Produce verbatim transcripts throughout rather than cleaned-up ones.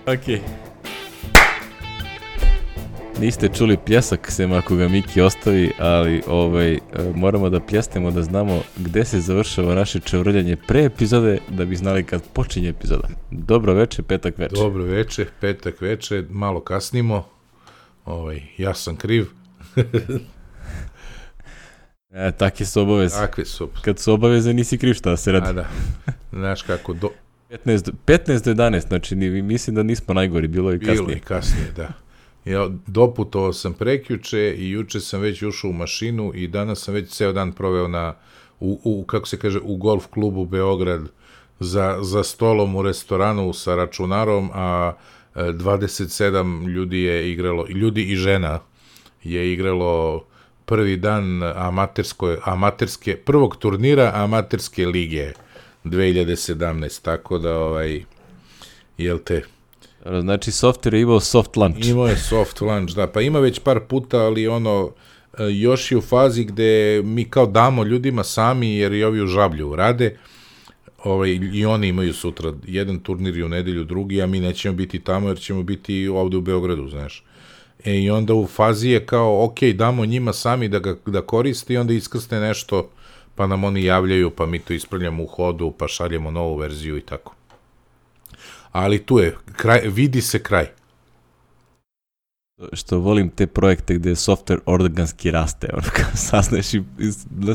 Ok. Niste čuli pljesak, sem ako ga Miki ostavi, ali ovaj, moramo da pljesnemo da znamo gde se završava naše čavrljanje pre epizode, da bi znali kad počinje epizoda. Dobro veče, petak veče. Dobro veče, petak veče, malo kasnimo. Ovaj, ja sam kriv. E, takve su obaveze. Takve su. Kad su obaveze, nisi kriv, šta se radi. A da, znaš kako do... petnaest do jedanaest, znači mislim da nismo najgori, bilo je kasnije. Bilo je kasnije, da. Ja doputovao sam prekjuče i juče sam već ušao u mašinu i danas sam već ceo dan proveo na, u, u, kako se kaže, u golf klubu Beograd za, za stolom u restoranu sa računarom, a dvadeset sedam ljudi je igralo, ljudi i žena je igralo prvi dan amatersko, amaterske, prvog turnira amaterske lige dve hiljade sedamnaeste. Tako da, ovaj, jel te... Znači, Software je imao soft launch. Imao je soft launch, da. Pa ima već par puta, ali ono, još je u fazi gde mi kao damo ljudima sami, jer i ovi u Žablju rade, ovaj, i oni imaju sutra jedan turnir i u nedelju drugi, a mi nećemo biti tamo, jer ćemo biti ovde u Beogradu, znaš. E, i onda u fazi je kao, ok, damo njima sami da ga da koriste i onda iskrsne nešto, pa nam oni javljaju, pa mi to ispravljamo u hodu, pa šaljemo novu verziju i tako. Ali tu je, kraj, vidi se kraj. Što volim te projekte gde software organski raste, ono, sazneš i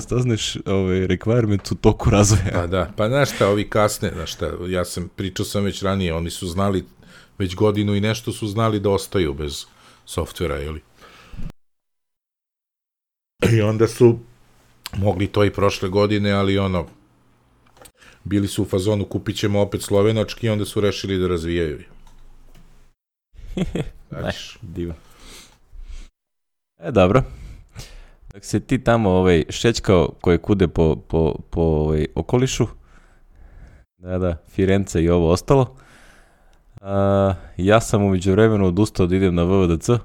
sazneš ovaj, requirement u toku razvoja. Pa da, pa znaš šta, ovi kasne, znaš šta, ja sam, pričao sam već ranije, oni su znali, već godinu i nešto su znali da ostaju bez softvera, jeli? I onda su mogli to i prošle godine, ali ono, bili su u fazonu, kupit ćemo opet slovenački i onda su rešili da razvijaju. Znači, divo. E, dobro. Dok se ti tamo ovaj, šećkao koje kude po, po, po ovaj, okolišu, da, da, Firence i ovo ostalo, a, ja sam umeđu vremenu odustao da idem na V V D C,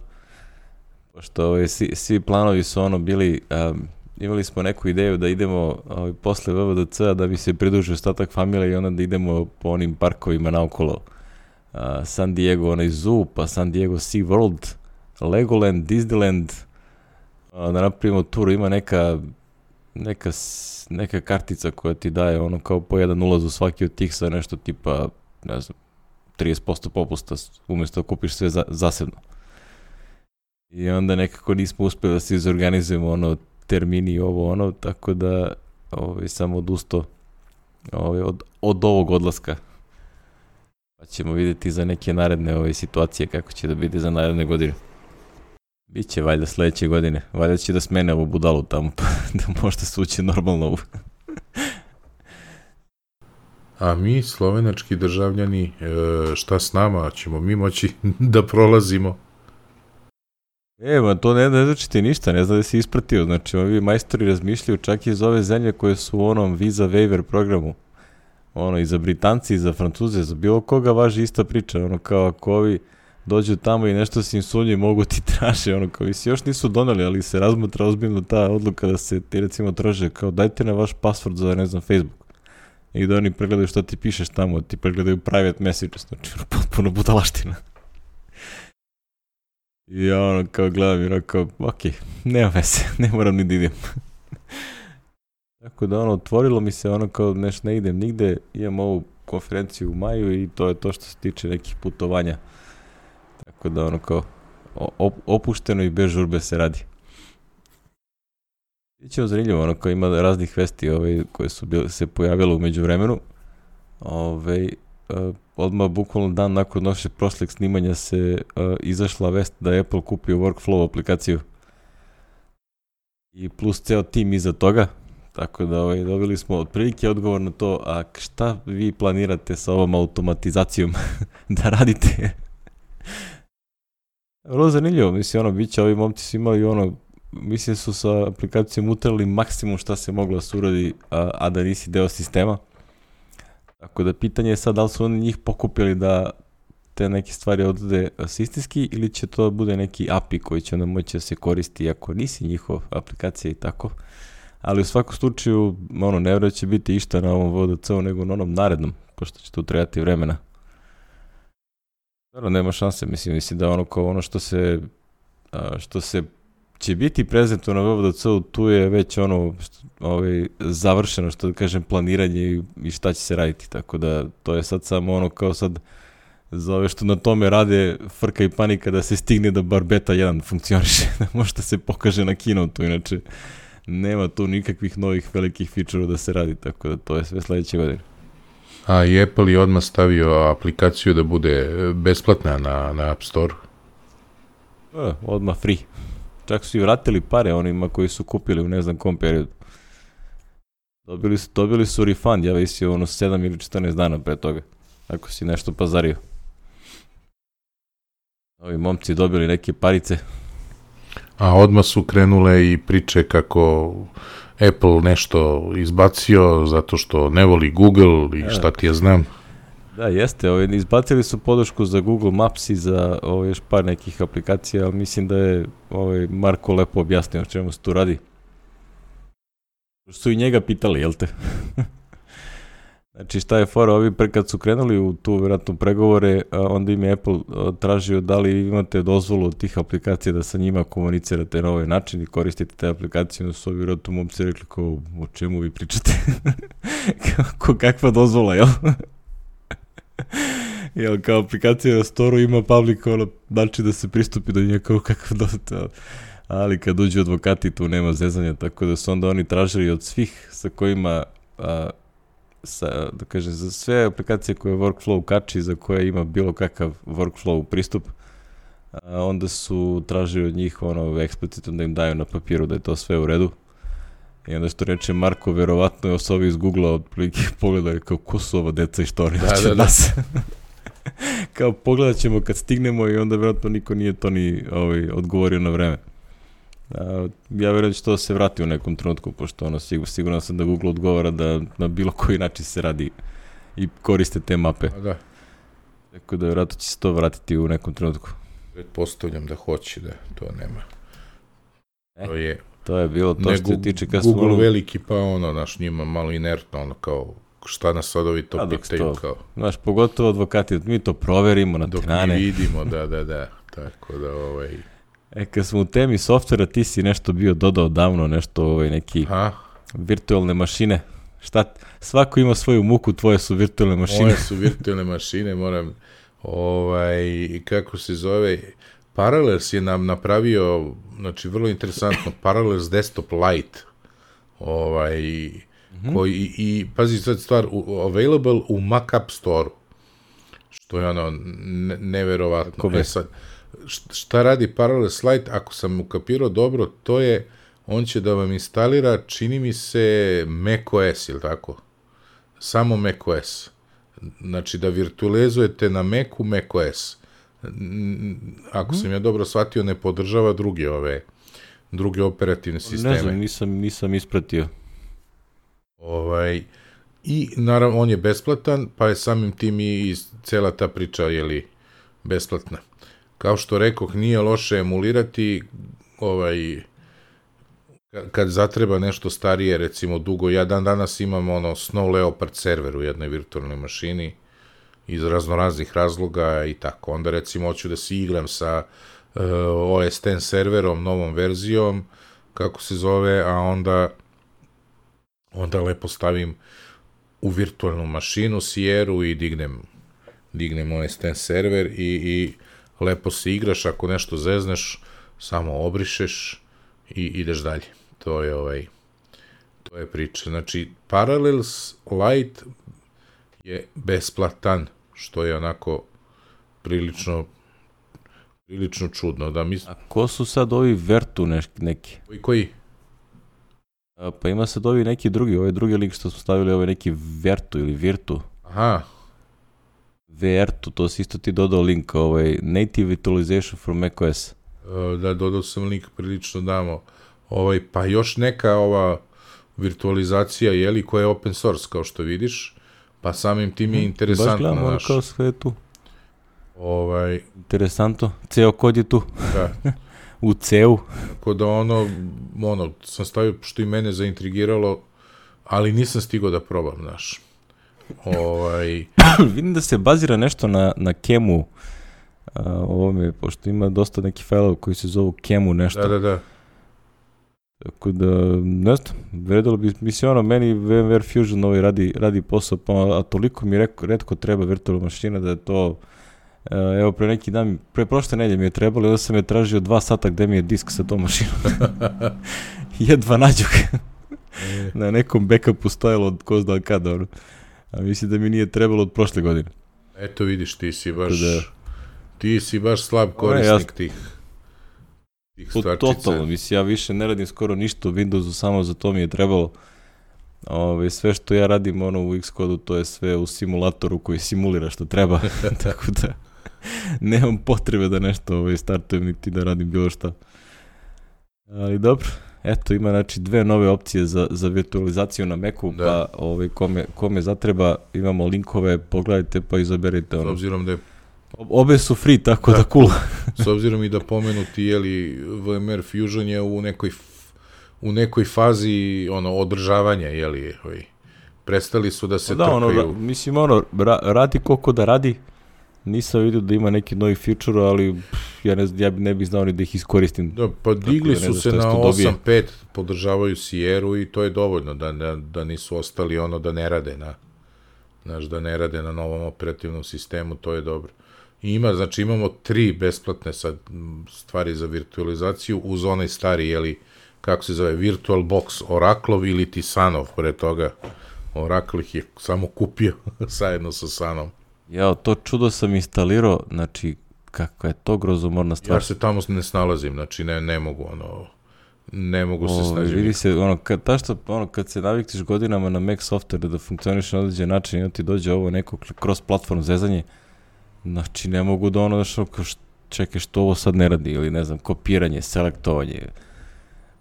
pošto ovaj, svi, svi planovi su ono bili... A, imali smo neku ideju da idemo ovaj, posle V V D C-a da bi se pridružio ostatak familije i onda da idemo po onim parkovima naokolo. Uh, San Diego, onaj zoo, pa San Diego Sea World, Legoland, Disneyland, uh, da napravimo turu, ima neka, neka, neka kartica koja ti daje ono kao po jedan ulaz u svaki od tih sa nešto tipa, ne znam, trideset posto popusta umjesto da kupiš sve za, zasebno. I onda nekako nismo uspjeli da se izorganizujemo ono termini i ovo ono, tako da ovaj, sam odustao ovaj, od, od ovog odlaska. Pa ćemo vidjeti za neke naredne ove situacije kako će da biti za naredne godine. Biće valjda sledeće godine. Valjda će da smene ovu budalu tamo, pa da možda se uće normalno. A mi, slovenački državljani, šta s nama? Ćemo mi moći da prolazimo? Evo, to ne, ne znači ti ništa, ne zna da si ispratio. Znači, ovi majstori razmišljaju čak i iz ove zemlje koje su u onom visa waiver programu. Ono, i za Britanci, i za Francuze, za bilo koga važi ista priča. Ono, kao ako ovi dođu tamo i nešto se im sunji, mogu ti traže. Ono, kao i se još nisu doneli, ali se razmatra ozbiljno ta odluka da se ti recimo traže kao dajte na vaš password za, ne znam, Facebook. I da oni pregledaju šta ti pišeš tamo, ti pregledaju private messages. Znači, ono, potpuno budalaština. I ja ono kao gledam i rekao, ok, nema veze, ne moram ni da idem. Tako da ono, otvorilo mi se ono kao neš ne idem nigde, imam ovu konferenciju u maju i to je to što se tiče nekih putovanja. Tako da ono kao op, opušteno i bez žurbe se radi. Biće zanimljivo, ono kao ima raznih vesti ovaj, koje su bile, se pojavile u međuvremenu. Ovaj, uh, odmah bukvalno dan nakon naše prošlog snimanja se uh, izašla vest da je Apple kupio Workflow aplikaciju. I plus ceo tim iza toga. Tako da ovaj, dobili smo otprilike odgovor na to, a šta vi planirate sa ovom automatizacijom da radite? Vrlo zanimljivo, mislim, ono, bit će, ovi momci su imali ono, mislim su sa aplikacijom utrali maksimum šta se moglo da se uradi, a, a da nisi deo sistema. Tako da pitanje je sad da li su oni njih pokupili da te neke stvari odrede sistemski ili će to bude neki A P I koji će onda moći da se koristi ako nisi njihov aplikacija i tako. Ali u svakom slučaju, ono, ne vjeruje će biti išta na ovom V D C-u nego na onom narednom, pošto će tu trebati vremena. Dobro, nema šanse, mislim, mislim da ono kao ono što se, a, što se će biti prezentovano na V V D C-u, tu je već ono što, ovaj, završeno, što da kažem, planiranje i, i šta će se raditi, tako da to je sad samo ono kao sad za ove što na tome rade frka i panika da se stigne da bar beta jedan funkcioniše, da možda se pokaže na keynote-u, inače nema tu nikakvih novih velikih feature-a da se radi, tako da to je sve sledeće godine. A i Apple je odmah stavio aplikaciju da bude besplatna na, na App Store. E, odmah free. Čak su i vratili pare onima koji su kupili u ne znam kom periodu. Dobili su, dobili su refund, ja visio ono sedam ili četrnaest dana pre toga, ako si nešto pazario. Ovi momci dobili neke parice. A odmah su krenule i priče kako Apple nešto izbacio zato što ne voli Google i šta ti ja znam. Da, jeste. Ovi, izbacili su podršku za Google Maps i za ovi, još par nekih aplikacija, ali mislim da je ovaj, Marko lepo objasnio o čemu se tu radi. Su i njega pitali, jel te? Znači šta je fora, ovi pre, kad su krenuli u tu vjerojatno pregovore, a, onda im je Apple a, tražio da li imate dozvolu od tih aplikacija da sa njima komunicirate na ovaj način i koristite te aplikacije, onda su ovi vjerojatno momci rekli kao, o čemu vi pričate? Kako, kakva dozvola, jel? Jel, kao aplikacija na storu ima public, ono, znači da se pristupi do nje kao kakav dozvola, ali kad uđu advokati tu nema zezanja, tako da su onda oni tražili od svih sa kojima a, sa, da kažem, za sve aplikacije koje workflow kači, za koje ima bilo kakav workflow pristup, a onda su tražili od njih ono eksplicitno da im daju na papiru da je to sve u redu. I onda što reče Marko, verovatno je osobi iz Google-a otprilike pogledali kao ko su ova deca i što oni da, hoće da, od da. nas. Kao pogledat ćemo kad stignemo i onda verovatno niko nije to ni ovaj, odgovorio na vreme. A, ja verujem da će to da se vrati u nekom trenutku, pošto ono, sigur, sigurno sam da Google odgovara da na bilo koji način se radi i koriste te mape. A da. Tako da verovatno će se to vratiti u nekom trenutku. Pretpostavljam da hoće, da to nema. E, to je... To je bilo to ne, što se tiče kad Google smo... veliki, pa ono, naš njima malo inertno, ono kao, šta nas sad ovi to pitaju, kao... Znaš, pogotovo advokati, mi to proverimo na dok strane. Dok mi vidimo, da, da, da, tako da, ovaj... E, kad smo u temi softvera, ti si nešto bio dodao davno, nešto, ovaj, neki Aha. virtualne mašine. Šta, svako ima svoju muku, tvoje su virtualne mašine. Moje su virtualne mašine, moram, ovaj, kako se zove... Parallels je nam napravio, znači vrlo interesantno, Parallels Desktop Lite, ovaj, mm-hmm. koji, i, i pazi sad stvar, u, available u Mac App Store, što je ono, ne, neverovatno. E sad, šta radi Parallels Lite, ako sam ukapirao dobro, to je, on će da vam instalira, čini mi se, macOS, ili tako? Samo macOS. Znači da virtualizujete na Macu macOS. Ako sam ja dobro shvatio, ne podržava druge ove druge operativne sisteme. Ne znam, nisam, nisam ispratio. Ovaj, i naravno on je besplatan, pa je samim tim i cela ta priča jeli besplatna. Kao što rekoh, nije loše emulirati ovaj kad zatreba nešto starije, recimo dugo, ja dan danas imam ono Snow Leopard server u jednoj virtualnoj mašini iz raznoraznih razloga i tako. Onda recimo hoću da se igram sa uh, O S deset serverom, novom verzijom, kako se zove, a onda onda lepo stavim u virtualnu mašinu Sierru i dignem dignem O S deset server i, i lepo se igraš, ako nešto zezneš, samo obrišeš i ideš dalje. To je ovaj to je priča. Znači, Parallels Lite je besplatan, što je onako prilično prilično čudno. Da mis... A ko su sad ovi Vertu neš, neki? Koji? koji? A, pa ima sad ovi neki drugi, ovaj drugi lik što smo stavili, ovaj neki Vertu ili Virtu. Aha. Vertu, to si isto ti dodao link, ovaj Native Virtualization for macOS. Da, dodao sam link prilično damo. Ovaj, pa još neka ova virtualizacija, jeli, koja je open source, kao što vidiš, pa samim tim je interesantno. Baš gledam, ono naš. kao sve tu. Ovaj, interesantno, ceo kod je tu. Da. U ceu. Tako da ono, ono, sam stavio što i mene zaintrigiralo, ali nisam stigao da probam, znaš. Ovaj... Vidim da se bazira nešto na, na Kemu a, ovome, pošto ima dosta nekih failova koji se zovu Kemu nešto. Da, da, da. Tako da, ne znam, vredilo bi, mislim, ono, meni VMware Fusion ovaj radi, radi posao, pa, a toliko mi reko, retko treba virtualna mašina da je to, evo, pre neki dan, pre prošle nedelje mi je trebalo, onda sam je tražio dva sata gde mi je disk sa tom mašinom. Jedva nađu ga. Na nekom backupu stojalo od ko zna kada, ono. A mislim da mi nije trebalo od prošle godine. Eto vidiš, ti si baš, da, ti si baš slab korisnik ja, tih. Totalno, mislim, ja više ne radim skoro ništa u Windowsu, samo za to mi je trebalo. Ove, sve što ja radim ono u Xcodu, to je sve u simulatoru koji simulira što treba, tako da nemam potrebe da nešto ove, startujem niti da radim bilo šta. Ali dobro, eto ima znači dve nove opcije za, za virtualizaciju na Macu, da. Pa ove, kome, kome zatreba imamo linkove, pogledajte pa izaberite. Ono. S obzirom da je Obe su free, tako da, da cool. S obzirom i da pomenuti, jeli, VMware Fusion je u nekoj, u nekoj fazi ono, održavanja, jeli, ovaj, prestali su da se da, trkaju. Ono, mislim, ono, ra, radi koliko da radi, nisam vidio da ima neki novi feature, ali pff, ja, ne, ja ne bih znao ni da ih iskoristim. Da, pa digli da su se na osam pet, podržavaju Sierru i to je dovoljno, da, da, da nisu ostali ono da ne rade na, znaš, da ne rade na novom operativnom sistemu, to je dobro. Ima, znači imamo tri besplatne sad stvari za virtualizaciju uz onaj stari, jeli, kako se zove, VirtualBox Oracleov ili ti Sunov, pre toga Oracle ih je samo kupio zajedno sa Sunom. Ja, to čudo sam instalirao, znači, kakva je to grozomorna stvar. Ja se tamo ne snalazim, znači ne, ne mogu, ono, ne mogu se snažiti. Vidi se, ono, kad, ta što, ono, kad se naviktiš godinama na Mac software da funkcioniš na određen način i onda ti dođe ovo neko cross-platform zezanje, znači, ne mogu da ono, što, čekaj, što ovo sad ne radi, ili ne znam, kopiranje, selektovanje,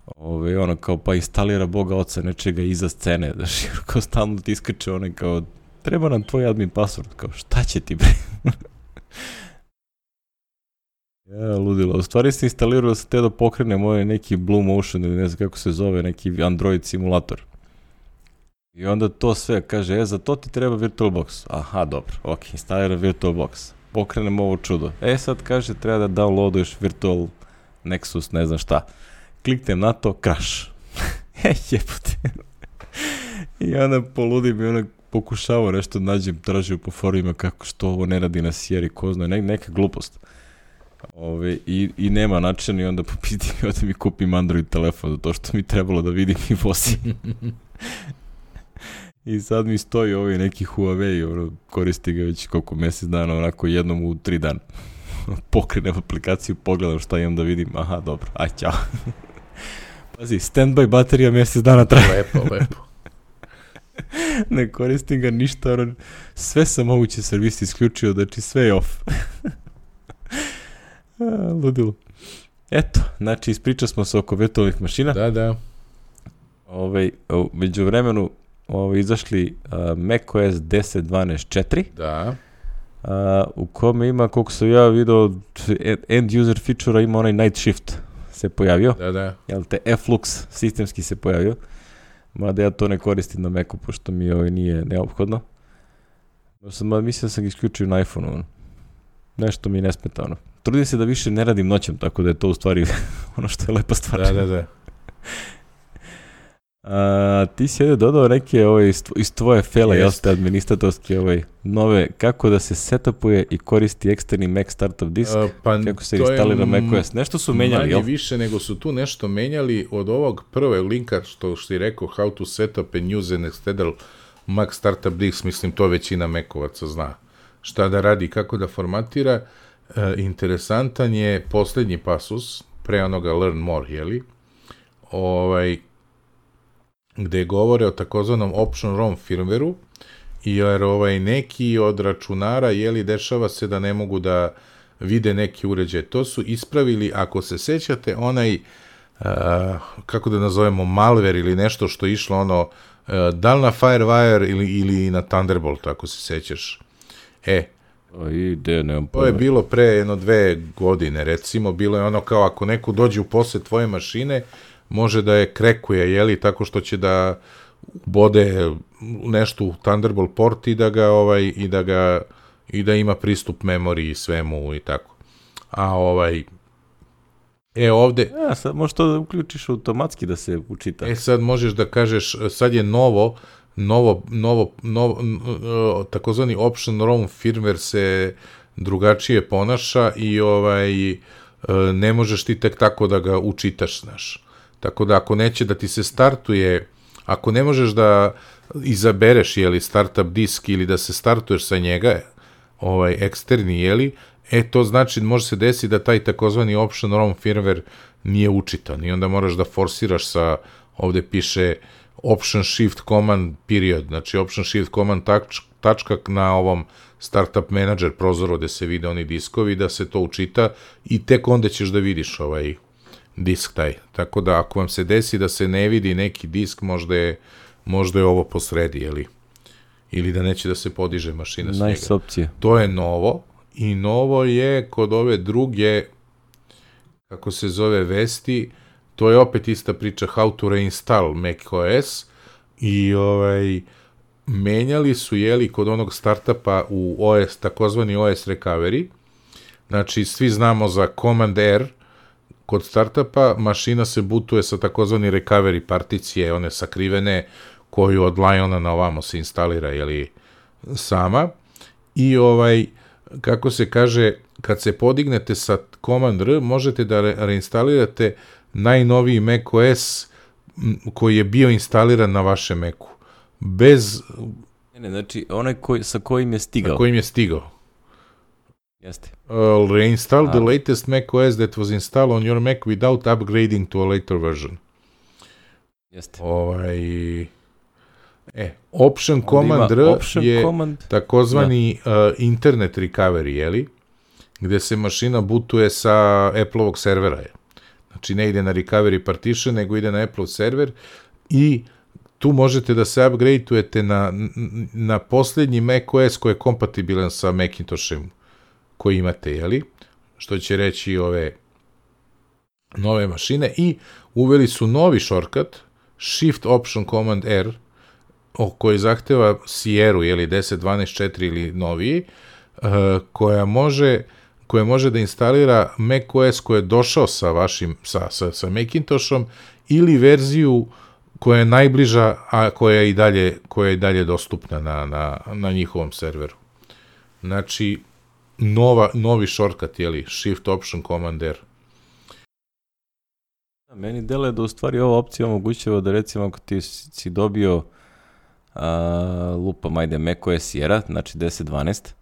ove, ono, kao, pa instalira Boga oca nečega iza scene, znači, kao stalno ti iskače onaj, kao, treba nam tvoj admin password, kao, šta će ti, bre? Ja, ludilo. U stvari se instalirao da se te da pokrene moj neki Blue Motion, ili ne znam kako se zove, neki Android simulator. I onda to sve kaže, e, za to ti treba VirtualBox. Aha, dobro, ok, instaliram VirtualBox. Pokrenem ovo čudo. E, sad kaže, treba da downloaduješ Virtual Nexus, ne znam šta. Kliknem na to, crash. E, jebote. I onda poludim i onda pokušavao nešto nađem, tražio po forumima kako što ovo ne radi na Sierra, ko zna, ne, neka glupost. Ove, i, i nema načina i onda popiti mi da mi kupim Android telefon, zato što mi trebalo da vidim i vozi. I sad mi stoji ovaj neki Huawei, ono, koristi ga već koliko mjesec dana, onako jednom u tri dana. Pokrenem aplikaciju, pogledam šta imam da vidim, aha, dobro, aj, ćao. Pazi, standby baterija mjesec dana traje. Lepo, lepo. Ne koristim ga ništa, ono, sve sam moguće servisi isključio, znači sve je off. A, ludilo. Eto, znači ispričali smo se oko virtualnih mašina. Da, da. Ove, među vremenu ove, izašli uh, macOS deset dvanaest četiri. Da. Uh, u kome ima, koliko sam ja vidio, end user feature-a ima onaj night shift se pojavio. Da, da. Jel te Flux sistemski se pojavio. Mada ja to ne koristim na Macu, pošto mi ovaj nije neophodno. Sam, mislim da sam ga isključio na iPhone-u. Nešto mi ne smeta, ono. Trudim se da više ne radim noćem, tako da je to u stvari ono što je lepa stvar. Da, da, da. A, ti si ovdje dodao neke ovaj, iz tvoje fele, jel ste administratorske, ovaj, nove, kako da se setupuje i koristi eksterni Mac Startup disk, uh, pa kako se instalira macOS. Nešto su menjali, jel? Manje više nego su tu nešto menjali od ovog prve linka što što si rekao, how to set up and use an external Mac Startup disk, mislim to većina Macovaca zna. Šta da radi, kako da formatira. Uh, interesantan je posljednji pasus, pre onoga learn more, jeli? Ovaj, gde govore o takozvanom option ROM firmwareu, jer ovaj, neki od računara, jeli, dešava se da ne mogu da vide neki uređaj. To su ispravili, ako se sećate, onaj, uh, kako da nazovemo, malware ili nešto što je išlo, ono, uh, da li na Firewire ili, ili na Thunderbolt, ako se sećaš. E, Ide, nemam to je bilo pre jedno dve godine, recimo, bilo je ono kao ako neko dođe u posjed tvoje mašine, može da je krekuje, jeli, tako što će da bode nešto u Thunderbolt port i da ga, ovaj, i da ga, i da ima pristup memoriji i svemu i tako. a ovaj, e ovde... Ja, sad možeš to da uključiš automatski da se učita. E sad možeš da kažeš, sad je novo, novo, novo, novo takozvani option ROM firmware se drugačije ponaša i ovaj, ne možeš ti tek tako da ga učitaš, znaš. Tako da ako neće da ti se startuje, ako ne možeš da izabereš, jeli, startup disk ili da se startuješ sa njega, ovaj, eksterni, jeli, e, to znači, može se desiti da taj takozvani option ROM firmware nije učitan i onda moraš da forsiraš sa, ovde piše option shift command period, znači option shift command tač, tačka na ovom startup manager prozoru gde se vide oni diskovi, da se to učita i tek onda ćeš da vidiš ovaj disk taj. Tako da ako vam se desi da se ne vidi neki disk, možda je, možda je ovo posredi, jeli? Ili da neće da se podiže mašina s njega. Nice opcija. To je novo i novo je kod ove druge, kako se zove, vesti, to je opet ista priča how to reinstall macOS i ovaj, menjali su, jeli, kod onog startupa u O S, takozvani O S recovery, znači svi znamo za Command R, kod startupa mašina se bootuje sa takozvani recovery particije, one sakrivene, koju od Liona na ovamo se instalira, jeli, sama, i ovaj, kako se kaže, kad se podignete sa Command R, možete da re reinstalirate najnoviji macOS koji je bio instaliran na vašem Macu. Bez... Ne, ne, znači, onaj koji, sa kojim je stigao. Sa kojim je stigao. Jeste. Uh, reinstall a. the latest macOS that was installed on your Mac without upgrading to a later version. Jeste. Ovaj... E, Option Command R option je command... takozvani uh, internet recovery, jeli? Gde se mašina bootuje sa Apple-ovog servera. Je. Znači, ne ide na recovery partition, nego ide na Apple server i tu možete da se upgradeujete na, na posljednji macOS koji je kompatibilan sa Macintoshem koji imate, jeli? Što će reći ove nove mašine i uveli su novi shortcut, Shift Option Command R, o koji zahteva Sierra, jeli, deset dvanaest četiri ili noviji, uh, koja može koja može da instalira macOS koji je došao sa vašim, sa, sa, sa Macintoshom ili verziju koja je najbliža, a koja je i dalje, koja je i dalje dostupna na, na, na njihovom serveru. Znači, nova, novi shortcut, jeli, Shift Option Command R. Meni deluje da u stvari ova opcija omogućava da, recimo, ako ti si dobio a, lupam, ajde, macOS Sierra, znači deset dvanaest,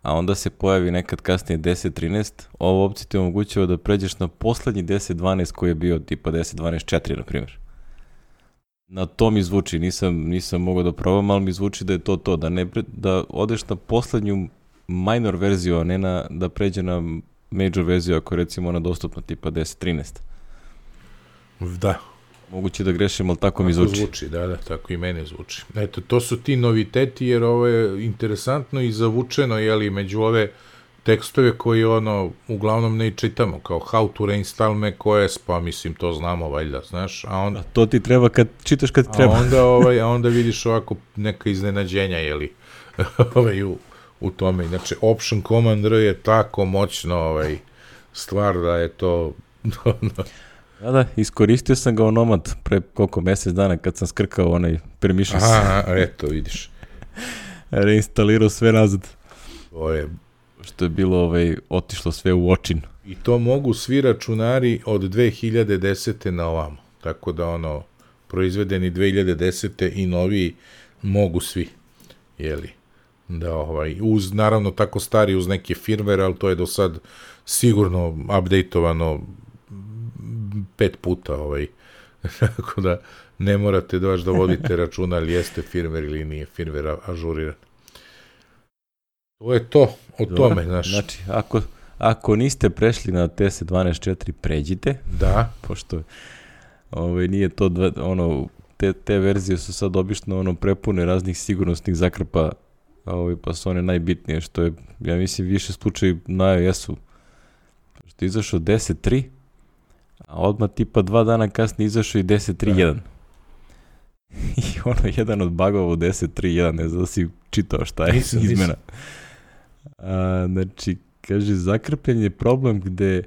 a onda se pojavi nekad kasnije deset trinaest, ova opcija ti omogućava da pređeš na poslednji deset dvanaest koji je bio tipa deset dvanaest četiri, na primjer. Na to mi zvuči, nisam, nisam mogao da probam, ali mi zvuči da je to to, da, ne, da odeš na poslednju minor verziju, a ne na, da pređe na major verziju, ako je recimo ona dostupna tipa deset trinaest. Da. Moguće da grešim, ali tako, tako mi zvuči. zvuči. Da, da, tako i mene zvuči. Eto, to su ti noviteti, jer ovo je interesantno i zavučeno, jeli, među ove tekstove koji, ono, uglavnom ne čitamo, kao how to reinstall macOS, pa mislim, to znamo, valjda, znaš, a onda... A to ti treba kad čitaš kad treba. A onda, ovaj, a onda vidiš ovako neka iznenađenja, jeli, ovaj, u, u tome. Znači, Option Command R je tako moćno, ovaj, stvar da je to... Da, da, iskoristio sam ga onomad pre koliko mjesec dana kad sam skrkao onaj permissions. Aha, eto, vidiš. Reinstalirao sve nazad. To je... Što je bilo, ovaj, otišlo sve u očin. I to mogu svi računari od dve hiljade desete na ovamo. Tako da, ono, proizvedeni dve hiljade desete i noviji mogu svi. Jeli? Da, ovaj, uz, naravno, tako stari uz neke firmware, ali to je do sad sigurno updateovano pet puta, ovaj. Tako da ne morate da baš da vodite računa ali jeste firmware ili nije firmware ažuriran. To je to, o Dobar. tome, znaš. Znači, ako, ako niste prešli na T S dvanaest četiri, pređite. Da. Pošto ovaj, nije to, dva, ono, te, te verzije su sad obično ono, prepune raznih sigurnosnih zakrpa, ovaj, pa su one najbitnije, što je, ja mislim, više slučaj na iOS-u. Što je izašao deset tri, a odmah tipa dva dana kasnije izašao i deset tri jedan. I ono, jedan od bugova u deset tri jedan, ne znam da si čitao šta je nisam, izmena. Nisam. A, znači, kaže, zakrpljen je problem gde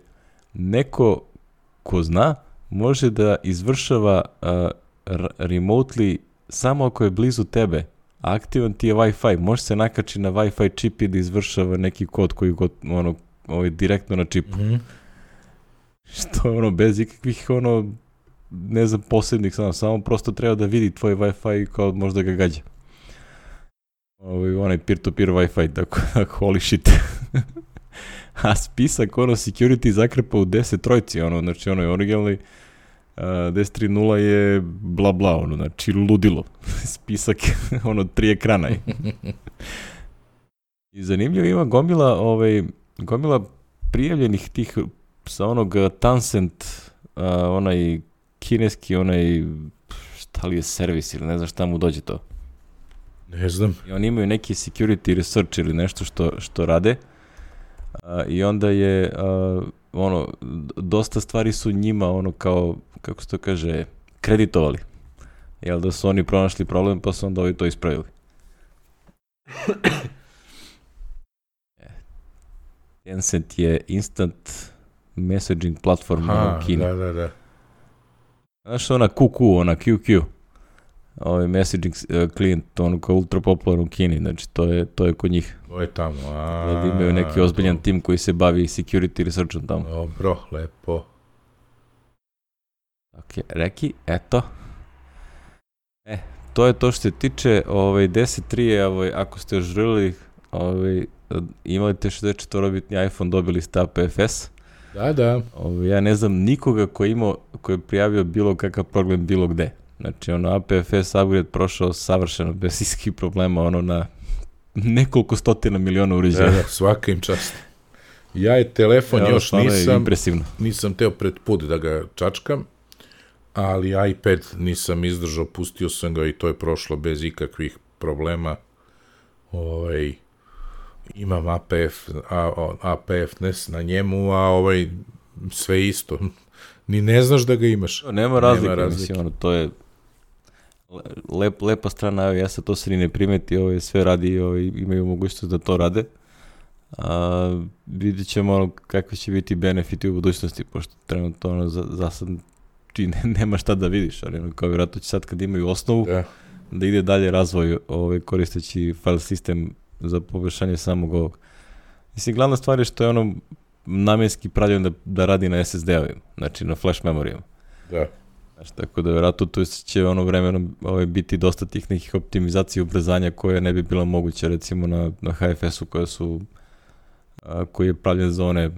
neko ko zna može da izvršava uh, r- remotely samo ako je blizu tebe. Aktivan ti je Wi-Fi. Može se nakači na Wi-Fi čip i da izvršava neki kod koji god, ono, ovaj, direktno na čipu. Mm-hmm. Što je ono, bez ikakvih, ono, ne znam, posebnih, samo, samo prosto treba da vidi tvoj Wi-Fi i kao možda ga gađa. Ovaj, onaj peer-to-peer Wi-Fi, tako da holy shit. A spisak, ono, security zakrpa u deset trojci, ono, znači, ono je originalni, uh, deset tri nula je bla bla, ono, znači, ludilo. Spisak, ono, tri ekrana je. I zanimljivo ima gomila, ovaj, gomila prijavljenih tih sa onog Tencent, uh, onaj kineski, onaj, šta li je servis ili ne znam šta mu dođe to. Ne znam. I oni imaju neki security research ili nešto što, što rade. Uh, I onda je, uh, ono, dosta stvari su njima, ono, kao, kako se to kaže, kreditovali. Jel da su oni pronašli problem, pa su onda ovi to ispravili. Tencent je instant messaging platform Aha, u Kini. da, da, da. Znaš ona Q Q, ona Q Q, ovaj messaging uh, klijent, ono kao ultra popularno u Kini, znači to je, to je kod njih. To je tamo, a... Da imaju neki ozbiljan tim koji se bavi security researchom tamo. Dobro, lepo. Ok, reki, eto. E, to je to što se tiče ovaj, deset tri je, ovaj, ako ste još želili, ovaj, imali te šezdeset četiri bitni iPhone, dobili ste A P F S. Da, da. Ovaj, ja ne znam nikoga ko je imao, ko je prijavio bilo kakav problem bilo gde. Znači, ono, A P F S upgrade prošao savršeno, bez iskih problema, ono, na nekoliko stotina miliona uređaja. Da, da, svaka im čast. Ja je telefon ja, još nisam, impresivno. Nisam teo pred put da ga čačkam, ali iPad nisam izdržao, pustio sam ga i to je prošlo bez ikakvih problema. Ovaj, imam A P F, A, A P F N E S na njemu, a ovaj, sve isto. Ni ne znaš da ga imaš. To nema razlike, nema razlike. Mislim, ono, to je lep, lepa strana iOS-a, to se ni ne primeti, ovaj, sve radi, ovaj, imaju mogućnost da to rade. A, vidjet ćemo ono, kakvi će biti benefiti u budućnosti, pošto trenutno ono, za, za sad či ne, nema šta da vidiš, ali ono, kao vjerojatno će sad kad imaju osnovu, da, da ide dalje razvoj ovaj, koristeći file sistem za poboljšanje samog ovog. Mislim, glavna stvar je što je ono namjenski pravljen da, da radi na S S D-ovima, znači na flash memorijama. Da. Znači, tako da vjerojatno tu će ono vremenom ovaj, biti dosta tih nekih optimizacija i ubrzanja koje ne bi bilo moguće recimo na, na H F S-u koje su a, koji je pravljen za one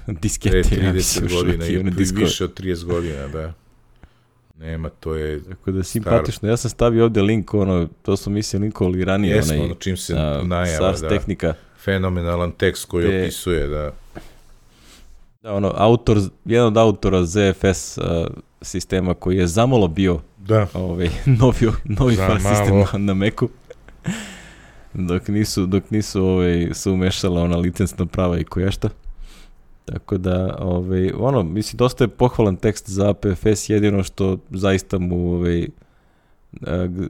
diskete. trideset godina i više od trideset godina, da. Nema, to je tako da simpatično. Star... Ja sam stavio ovdje link, ono, to smo mislili linkovali ranije. Jesmo, onaj, ono čim se a, najava, Sars da. Tehnika. Fenomenalan tekst koji te... opisuje, da. Da, ono, autor, jedan od autora Z F S uh, sistema koji je zamalo bio da. Ovaj, novi, novi file sistem na, na Macu. dok nisu, dok nisu ovaj, se umešala ona licencna prava i koješta. Tako da, ovaj, ono, mislim, dosta je pohvalan tekst za A P F S, jedino što zaista mu, ovaj,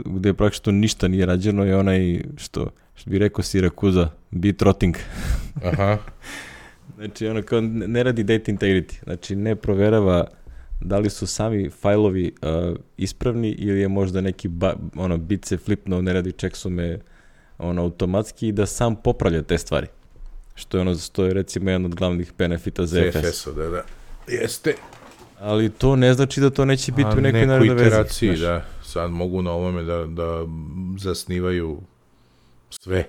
gde praktično ništa nije rađeno je onaj, što, što bi rekao Sirakuza, bitrotting. Aha. Znači, ono, kao ne radi data integrity, znači ne proverava da li su sami fajlovi uh, ispravni ili je možda neki ba, ono, bit se flipno, ne radi checksume ono, automatski i da sam popravlja te stvari. Što je ono, što je recimo jedan od glavnih benefita za Z F S. Z F S-a, da, da. Jeste. Ali to ne znači da to neće biti u nekoj narednoj verziji. Iteraciji, znači. Da. Sad mogu na ovome da, da zasnivaju sve.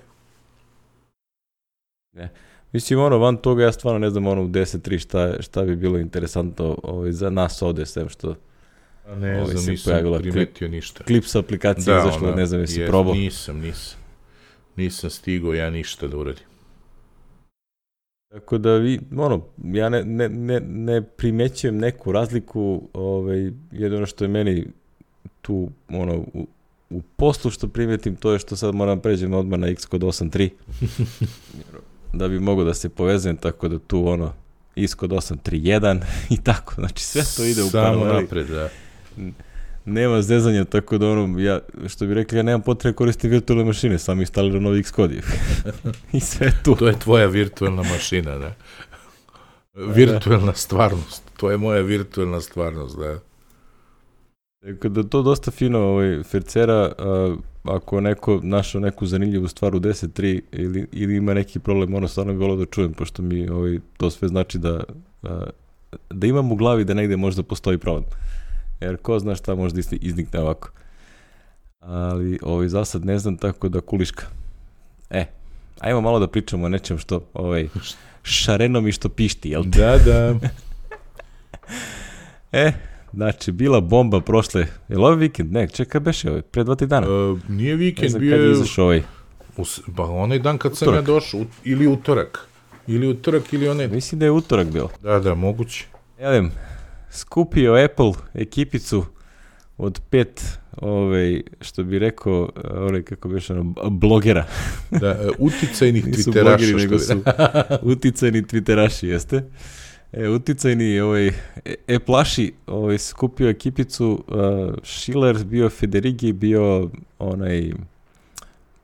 Ne. Mislim, ono, van toga ja stvarno ne znam, ono, u deset tri šta, šta bi bilo interesantno ovaj, za nas ovde, sem što A ne ovaj, znam, nisam primetio klip, ništa. Klip sa aplikacije da, izašlo, ne znam, jesi probao. Nisam, nisam. Nisam stigao ja ništa da uradim. Tako da vi, ono, ja ne, ne, ne, ne primećujem neku razliku, ovaj, jedino što je meni tu, ono, u, u poslu što primetim, to je što sad moram pređem odmah na Xcode osam tri, da bi mogo da se povezujem, tako da tu, ono, Xcode osam tri jedan i tako, znači sve to ide u paraleli. Samo napred, da. nema zezanja, tako da ono, ja, što bi rekli, ja nemam potrebe koristiti virtualne mašine, sam instalirao novi Xcode. I sve tu. To je tvoja virtualna mašina, ne? Virtualna stvarnost. To je moja virtualna stvarnost, da. Tako da to dosta fino, ovaj, Fercera, a, ako neko našao neku zanimljivu stvar u deset tri ili, ili ima neki problem, ono stvarno bi volio da čujem, pošto mi ovaj, to sve znači da, a, da imam u glavi da negde možda postoji problem. Jer ko zna šta možda iznikne ovako. Ali ovaj, za sad ne znam, tako da kuliška. E, ajmo malo da pričamo o nečem što ovaj, šareno mi što pišti, jel te? Da, da. E, znači, bila bomba prošle, je li ovaj vikend? Ne, čekaj, beše ovaj, pre dva, tri dana. Uh, nije vikend, ne znam bio kad je je... izašao ovaj. Us, ba, onaj dan kad sam utorak. ja došao, ili utorak. Ili utorak, ili onaj... Mislim da je utorak bilo. Da, da, moguće. Jelem, skupio Apple ekipicu od pet, ovaj, što bi rekao, ovaj, kako bi ono, blogera. Da, uh, uticajnih Nisu twitteraša. blogeri, nego su uticajni twitteraši, jeste. E, uticajni, ovaj, e-plaši, ovaj, skupio ekipicu, uh, Schiller, bio Federighi, bio onaj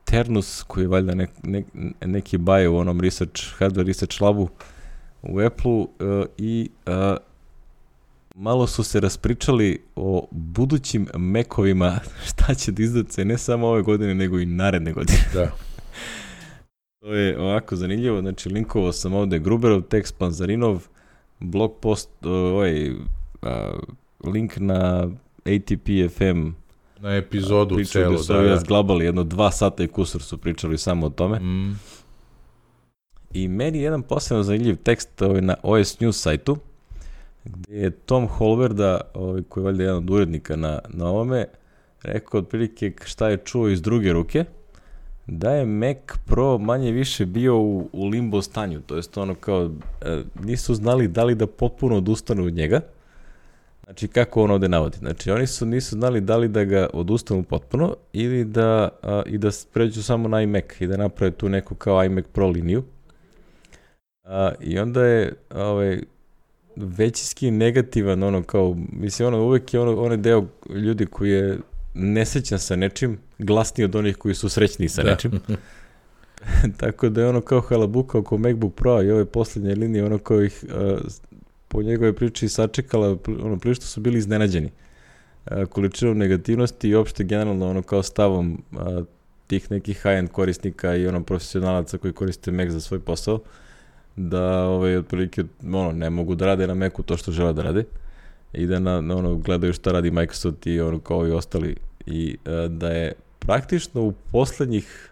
Ternus, koji je valjda nek, nek, neki baje u onom research, hardware research labu u Apple-u uh, i uh, malo su se raspričali o budućim Mac-ovima, šta će da izdace ne samo ove godine, nego i naredne godine. Da. To je ovako zanimljivo, znači linkovao sam ovde Gruberov tekst, Panzarinov, blog post, ovaj, uh, link na A T P F M, Na epizodu pričali celo, su da, ovi da. razglabali, jedno dva sata i kusur su pričali samo o tome. Mm. I meni jedan posebno zanimljiv tekst ovaj, na O S News sajtu, gdje je Tom Holverda, ovaj, koji je valjda jedan od urednika na, na ovome, rekao otprilike šta je čuo iz druge ruke, da je Mac Pro manje više bio u, u limbo stanju, to jest ono kao, e, nisu znali da li da potpuno odustanu od njega. Znači, kako on ovde navodi? Znači, oni su nisu znali da li da ga odustanu potpuno ili da, a, i da pređu samo na iMac i da naprave tu neku kao iMac Pro liniju. A, I onda je ovaj, većinski negativan, ono kao, mislim, ono uvek je ono, onaj deo ljudi koji je nesrećan sa nečim, glasniji od onih koji su srećni sa Da. nečim. Tako da je ono kao halabuka oko MacBook Pro i ove posljednje linije, ono kao ih a, po njegove priči sačekala, ono, prilično su bili iznenađeni a, količinom negativnosti i opšte generalno ono kao stavom a, tih nekih high-end korisnika i ono profesionalaca koji koriste Mac za svoj posao, da ovaj, otprilike ono, ne mogu da rade na Macu to što žele da rade i da na, na ono, gledaju šta radi Microsoft i ono kao i ostali i a, da je praktično u poslednjih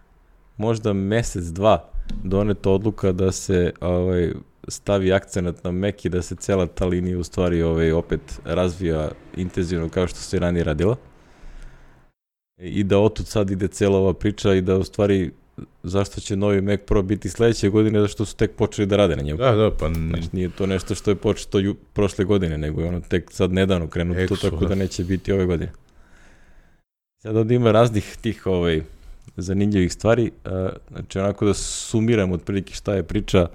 možda mesec, dva doneta odluka da se ovaj, stavi akcenat na Mac i da se cela ta linija u stvari ovaj, opet razvija intenzivno kao što se ranije radila. I da otud sad ide cela ova priča i da u stvari zašto će novi Mac Pro biti sledeće godine, zašto su tek počeli da rade na njemu. Da, da, pa... n- Znači nije to nešto što je početo ju, prošle godine, nego je ono tek sad nedavno krenuto to, Eksu, tako da. da neće biti ove godine. Sad ovdje ima raznih tih ovaj, zanimljivih stvari, a, znači onako da sumiram otprilike šta je priča.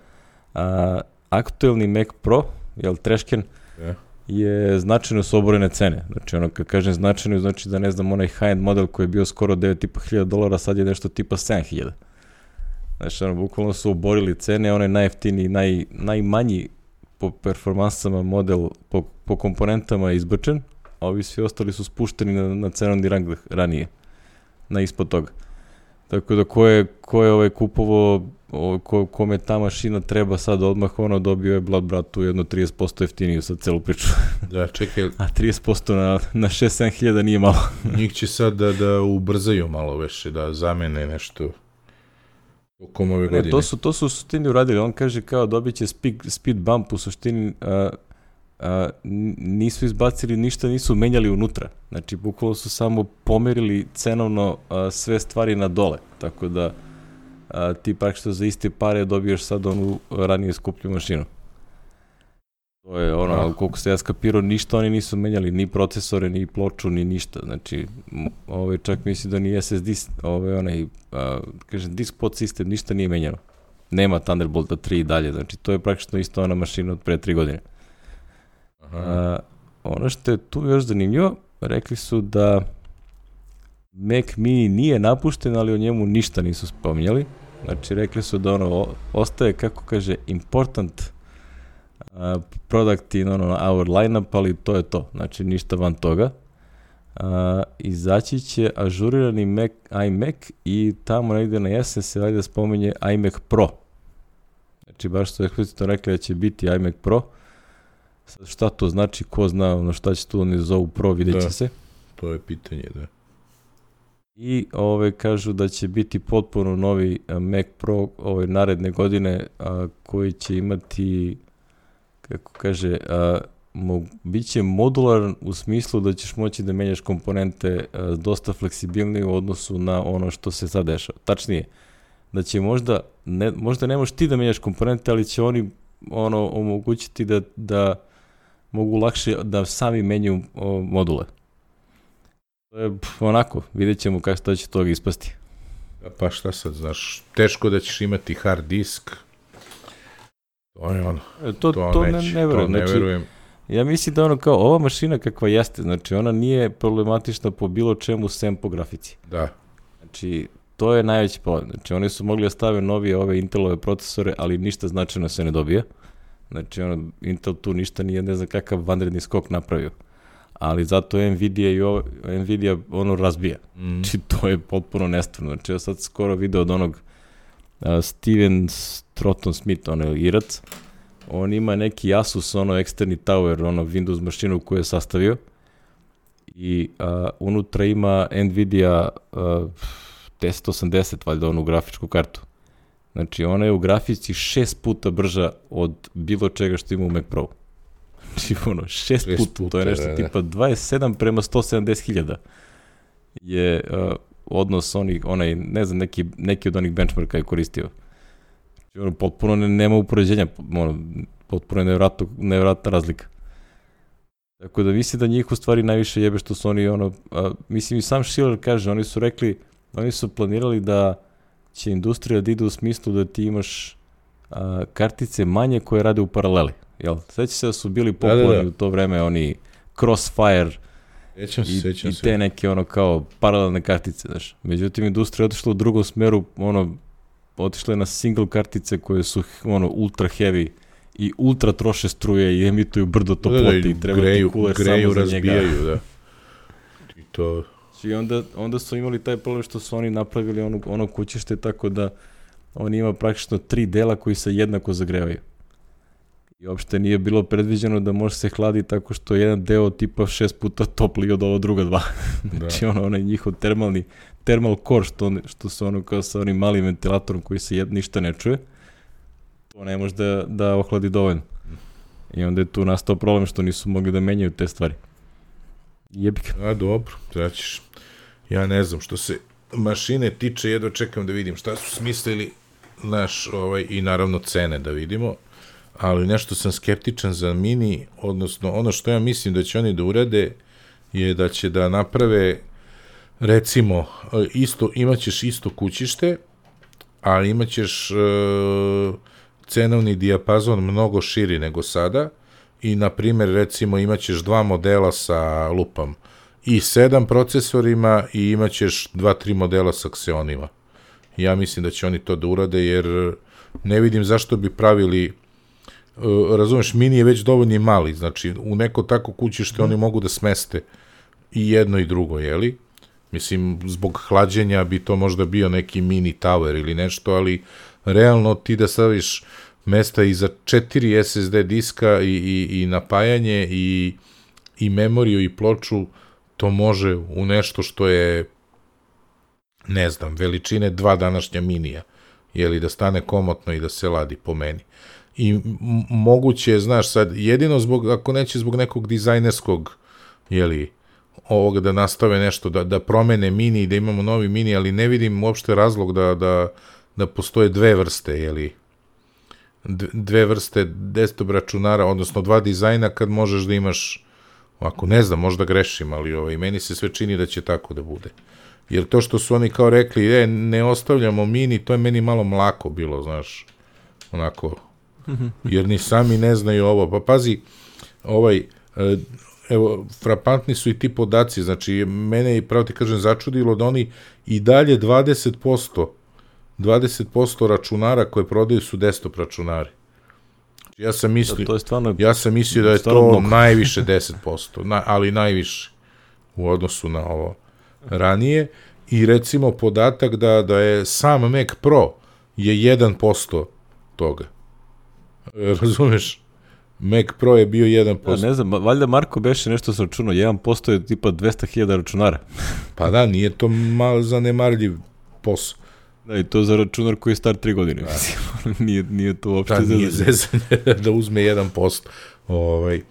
A, aktuelni Mac Pro, jel trešken, Ja. je značajno su oborene cene. Znači ono kad kažem značajno, znači da ne znam onaj high-end model koji je bio skoro devet i po hiljada dolara, sad je nešto tipa sedam hiljada. Znači ono, bukvalno su oborili cene, onaj najjeftiniji, naj, najmanji po performansama model, po, po komponentama je izbačen, a ovi svi ostali su spušteni na, na cenovni rang ranije, na ispod toga. Tako da ko je, ko je ovaj kupovo, o, ko, kome ta mašina treba sad odmah, ono dobio je Blood Bratu jedno trideset posto jeftiniju sad celu priču. Da, čekaj, A trideset posto na, na šest sedam hiljada nije malo. njih će sad da, da ubrzaju malo više, da zamene nešto tokom ove godine. Ne, to su, to su u suštini uradili. On kaže kao dobit će speed, speed bump, u suštini a, a, n- nisu izbacili ništa, nisu menjali unutra. Znači, bukvalno su samo pomerili cenovno a, sve stvari na dole. Tako da a, ti praktično za iste pare dobiješ sad onu ranije skuplju mašinu. To je ono, Ah. ali koliko se ja skapirao, ništa oni nisu menjali, ni procesore, ni ploču, ni ništa. Znači, m- ovaj, čak misli da ni S S D, ovaj, onaj, a, kažem, disk pod sistem, ništa nije menjano. Nema Thunderbolta tri i dalje, znači to je praktično isto ona mašina od pre tri godine. Aha. A, ono što je tu još zanimljivo, rekli su da Mac Mini nije napušten, ali o njemu ništa nisu spominjali. Znači, rekli su da ono ostaje, kako kaže, important uh, product in ono, our lineup, ali to je to. Znači, ništa van toga. Uh, izaći će ažurirani Mac, iMac i tamo negdje na jesen se valjda spominje iMac Pro. Znači, baš su eksplicitno rekli da će biti iMac Pro. Sad šta to znači, ko zna ono šta će tu oni zovu Pro, vidjet će da, se. To je pitanje, da. I ove kažu da će biti potpuno novi Mac Pro ove naredne godine, a, koji će imati, kako kaže, a, mo, bit će modularan u smislu da ćeš moći da menjaš komponente a, dosta fleksibilnije u odnosu na ono što se sad dešava. Tačnije, da će možda, ne, možda ne možeš ti da menjaš komponente, ali će oni ono omogućiti da, da mogu lakše da sami menjaju o, module. To je pf, onako, vidjet ćemo kako to će toga ispasti. Pa šta sad, znaš, teško da ćeš imati hard disk. To je ono. To, to, to ne, ne verujem. Ne znači, verujem. ja mislim da ono kao, ova mašina kakva jeste, znači ona nije problematična po bilo čemu sem po grafici. Da. Znači, to je najveći problem. Znači, oni su mogli da stave novije ove Intelove procesore, ali ništa značajno se ne dobije. Znači, ono, Intel tu ništa nije, ne znam kakav vanredni skok napravio. Ali zato Nvidia i ovo, Nvidia ono razbija. Mm. Znači, to je potpuno nestvarno. Znači, ja sad skoro video od onog uh, Steven Stratton Smith, ono Irac, on ima neki Asus, ono eksterni tower, ono Windows mašinu koju je sastavio i uh, unutra ima Nvidia uh, deset osamdeset, valjda onu grafičku kartu. Znači, ona je u grafici šest puta brža od bilo čega što ima u Mac Pro. Znači, ono, šest puta, puta, to je nešto da, tipa dvadeset sedam prema sto sedamdeset hiljada je uh, odnos onih, onaj, ne znam, neki, neki od onih benchmarka je koristio. Znači, ono, potpuno ne, nema upoređenja, ono, potpuno je nevjerojatno, nevjerojatna razlika. Tako da mislim da njih u stvari najviše jebe što su oni, ono, a, mislim i sam Schiller kaže, oni su rekli, oni su planirali da će industrija da ide u smislu da ti imaš a, kartice manje koje rade u paraleli. Jel? Sveća se da su bili popularni da, da, da. u to vreme, oni Crossfire sećam se, i, sećam i se. te neke ono kao paralelne kartice. Znaš. Međutim, industrija je otišla u drugom smeru, ono, otišla je na single kartice koje su ono ultra heavy i ultra troše struje i emituju brdo toplote da, da, i treba greju, ti kuler samo za njega. Da. I to... I onda, onda su imali taj problem što su oni napravili ono, ono kućište tako da on ima praktično tri dela koji se jednako zagrevaju. I uopšte nije bilo predviđeno da može se hladi tako što je jedan deo tipa šest puta topliji od ova druga dva. Znači ono, onaj njihov termalni, thermal core što, što su ono kao sa onim malim ventilatorom koji se jed, ništa ne čuje, to ne može da, da ohladi dovoljno. I onda je tu nastao problem što nisu mogli da menjaju te stvari. Jebika. A dobro, znači, ja ne znam, što se mašine tiče, jedno čekam da vidim šta su smislili naš, ovaj, i naravno cene da vidimo, ali nešto sam skeptičan za mini, odnosno ono što ja mislim da će oni da urade je da će da naprave, recimo, isto, imaćeš isto kućište, ali imaćeš uh, cenovni dijapazon mnogo širi nego sada i, na primjer, recimo, imaćeš dva modela sa lupam i sedam procesorima i imaćeš dva, tri modela sa Xeonima. Ja mislim da će oni to da urade, jer ne vidim zašto bi pravili, uh, razumeš, mini je već dovoljno mali, znači u neko tako kućište mm. oni mogu da smeste i jedno i drugo, jeli? Mislim, zbog hlađenja bi to možda bio neki mini tower ili nešto, ali realno ti da staviš mesta i za četiri es es de diska i, i, i napajanje i, i memoriju i ploču, to može u nešto što je, ne znam, veličine dva današnja minija, jeli, da stane komotno i da se ladi po meni. I m- moguće je, znaš, sad, jedino zbog, ako neće zbog nekog dizajnerskog, jeli, ovoga da nastave nešto, da, da promene mini i da imamo novi mini, ali ne vidim uopšte razlog da, da, da postoje dve vrste, jeli, dve vrste desktop računara, odnosno dva dizajna kad možeš da imaš, ako ne znam, možda grešim, ali ovaj, meni se sve čini da će tako da bude. Jer to što su oni kao rekli, e, ne ostavljamo mini, to je meni malo mlako bilo, znaš, onako, jer ni sami ne znaju ovo. Pa pazi, ovaj, evo, frapantni su i ti podaci, znači, mene je, pravo ti kažem, začudilo da oni i dalje dvadeset posto, dvadeset posto računara koje prodaju su desktop računari. Ja sam mislio, da, to je stvarno, ja sam mislio da je to mogu. najviše deset posto, na, ali najviše u odnosu na ovo ranije. I recimo podatak da, da je sam Mac Pro je jedan posto toga. Razumeš? Mac Pro je bio jedan posto. Ja, ne znam, valjda Marko beše nešto sa računom, jedan posto je tipa dvesta hiljada računara. Pa da, nije to malo zanemarljiv posao. Da, i to za računar koji je star tri godine. nije, nije to uopšte da, nije zezanje da uzme jedan posto. Ovaj,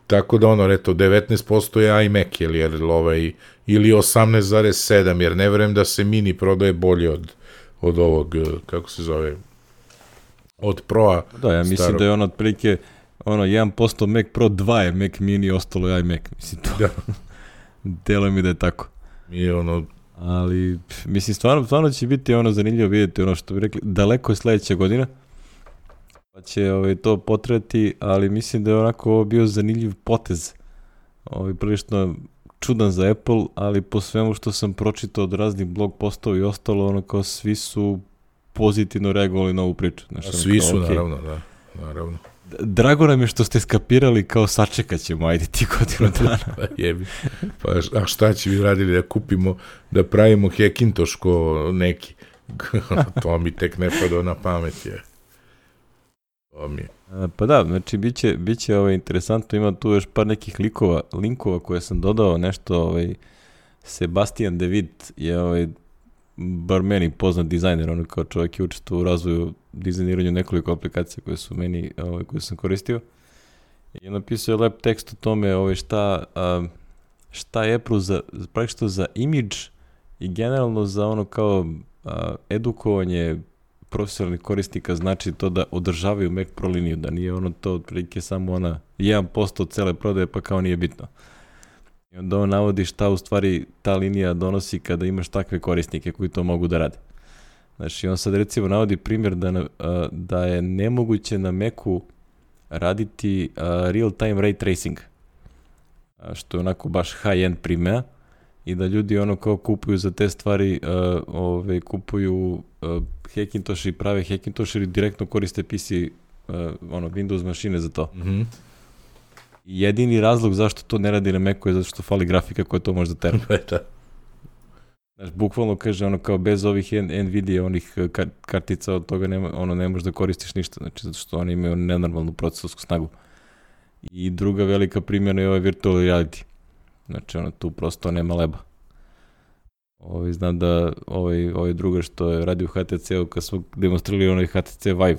tako da ono, reto, devetnaest posto je iMac, jer, jer ovaj, ili osamnaest zarez sedam, jer ne verujem da se mini prodaje bolje od, od ovog, kako se zove, od Pro-a. Da, ja mislim starog. Da je ono otprilike ono, jedan posto Mac Pro, dva je Mac mini, ostalo je iMac. Mislim, to da. Delo mi da je tako. I ono... Ali, mislim, stvarno, stvarno će biti ono zanimljivo vidjeti ono što bi rekli, daleko je sledeća godina, pa će ovaj, to potrebati, ali mislim da je onako ovo bio zanimljiv potez. Ovaj, prilično čudan za Apple, ali po svemu što sam pročitao od raznih blog postova i ostalo, ono kao svi su pozitivno reagovali na ovu priču. Znaš, A svi kao, su, okay. naravno, da, naravno. Drago nam je što ste skapirali kao sačekat ćemo, ajde ti godinu dana. Pa jebi. Pa a šta će vi radili da kupimo, da pravimo Hackintosh ko neki? To mi tek ne pada na pamet je. To mi je. A, pa da, znači biće, biće ovaj, interesantno, ima tu još par nekih likova, linkova koje sam dodao, nešto ovaj, Sebastian David je ovaj, bar meni poznat dizajner, on kao čovjek je učestvovao u razvoju, dizajniranju nekoliko aplikacija koje su meni, ovaj, koje sam koristio. I napisao je lep tekst o tome ovaj, šta, a, šta je Apple za, praktično za imidž i generalno za ono kao a, edukovanje profesionalnih korisnika, znači to da održavaju Mac Pro liniju, da nije ono to otprilike samo ona jedan posto od cele prodaje pa kao nije bitno. I onda on navodi šta u stvari ta linija donosi kada imaš takve korisnike koji to mogu da rade. Znači, on sad recimo navodi primjer da, na, da je nemoguće na Macu raditi real-time ray tracing, što je onako baš high-end primjera i da ljudi ono kao kupuju za te stvari, uh, ove, kupuju uh, Hackintosh i prave Hackintosh ili direktno koriste P C, uh, ono, Windows mašine za to. Mhm. Jedini razlog zašto to ne radi na Macu je zato što fali grafika koja to može da tera. Znaš, bukvalno kaže ono kao bez ovih Nvidia, onih kar- kartica od toga nema, ono ne možeš da koristiš ništa, znači zato što oni imaju nenormalnu procesorsku snagu. I druga velika primjena je ovaj virtual reality. Znači ono tu prosto nema leba. Ovi, znam da ovaj, ovaj druga što je radio u H T C-u kad smo demonstrirali onaj H T C Vive.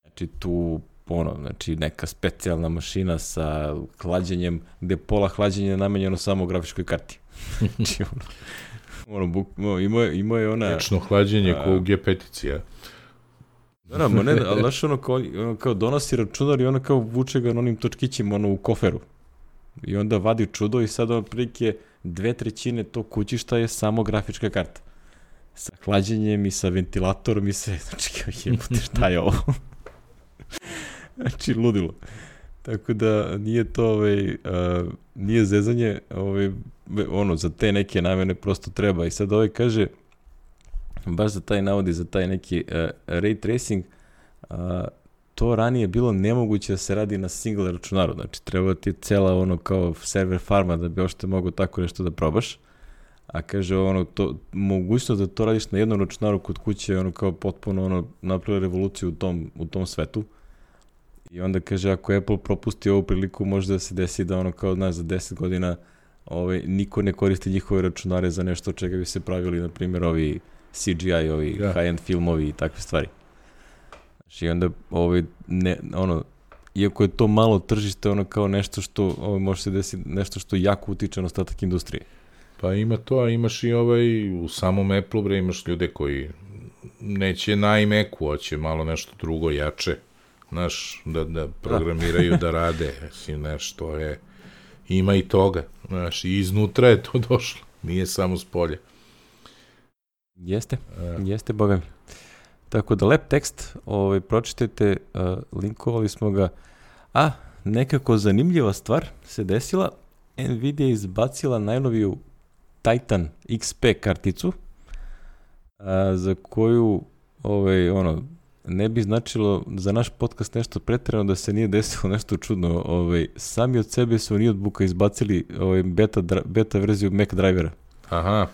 Znači tu ono, znači neka specijalna mašina sa hlađenjem, gde pola hlađenja je namenjeno samo grafičkoj karti. Znači ono, ono buk, no, imao, je, imao je ona... Večno hlađenje ko u G pet-ici, ja. Da, da, ne, ali znaš ono kao, ono kao donosi računar i ono kao vuče ga na onim točkićima ono u koferu. I onda vadi čudo i sad ono prilike dve trećine tog kućišta je samo grafička karta. Sa hlađenjem i sa ventilatorom i sve. Znači kao jebote šta je ovo? Znači ludilo. Tako da nije to ovaj, uh, nije zezanje, ovaj, ono, za te neke namene prosto treba. I sad ovaj kaže, baš za taj navodi, za taj neki uh, ray tracing, uh, to ranije bilo nemoguće da se radi na single računaru. Znači, treba ti cela ono kao server farma da bi ošte mogo tako nešto da probaš. A kaže, ono, to, mogućnost da to radiš na jednom računaru kod kuće, ono kao potpuno ono, napravila revoluciju u tom, u tom svetu. I onda kaže, ako Apple propusti ovu priliku, može da se desi da ono kao, znaš, za deset godina ovaj, niko ne koristi njihove računare za nešto od čega bi se pravili, na primjer, ovi C G I, ovi ja. high-end filmovi i takve stvari. Znači, onda, ovaj, ne, ono, iako je to malo tržište, ono kao nešto što, ovaj, može se desiti, nešto što jako utiče na ostatak industrije. Pa ima to, a imaš i ovaj, u samom Apple, bre, imaš ljude koji neće na iMacu, hoće malo nešto drugo, jače. Znaš, da, da programiraju, da rade, mislim, nešto je, ima i toga, znaš, i iznutra je to došlo, nije samo s polja. Jeste, A. jeste, boga mi. Tako da, lep tekst, ovaj, pročitajte, uh, linkovali smo ga, a, nekako zanimljiva stvar se desila. Nvidia je izbacila najnoviju Titan X P karticu, a, za koju ovaj, ono, ne bi značilo za naš podcast nešto pretjerano da se nije desilo nešto čudno. Ovaj, sami od sebe su ni od buka izbacili ovaj, beta, beta verziju Mac drivera. Aha.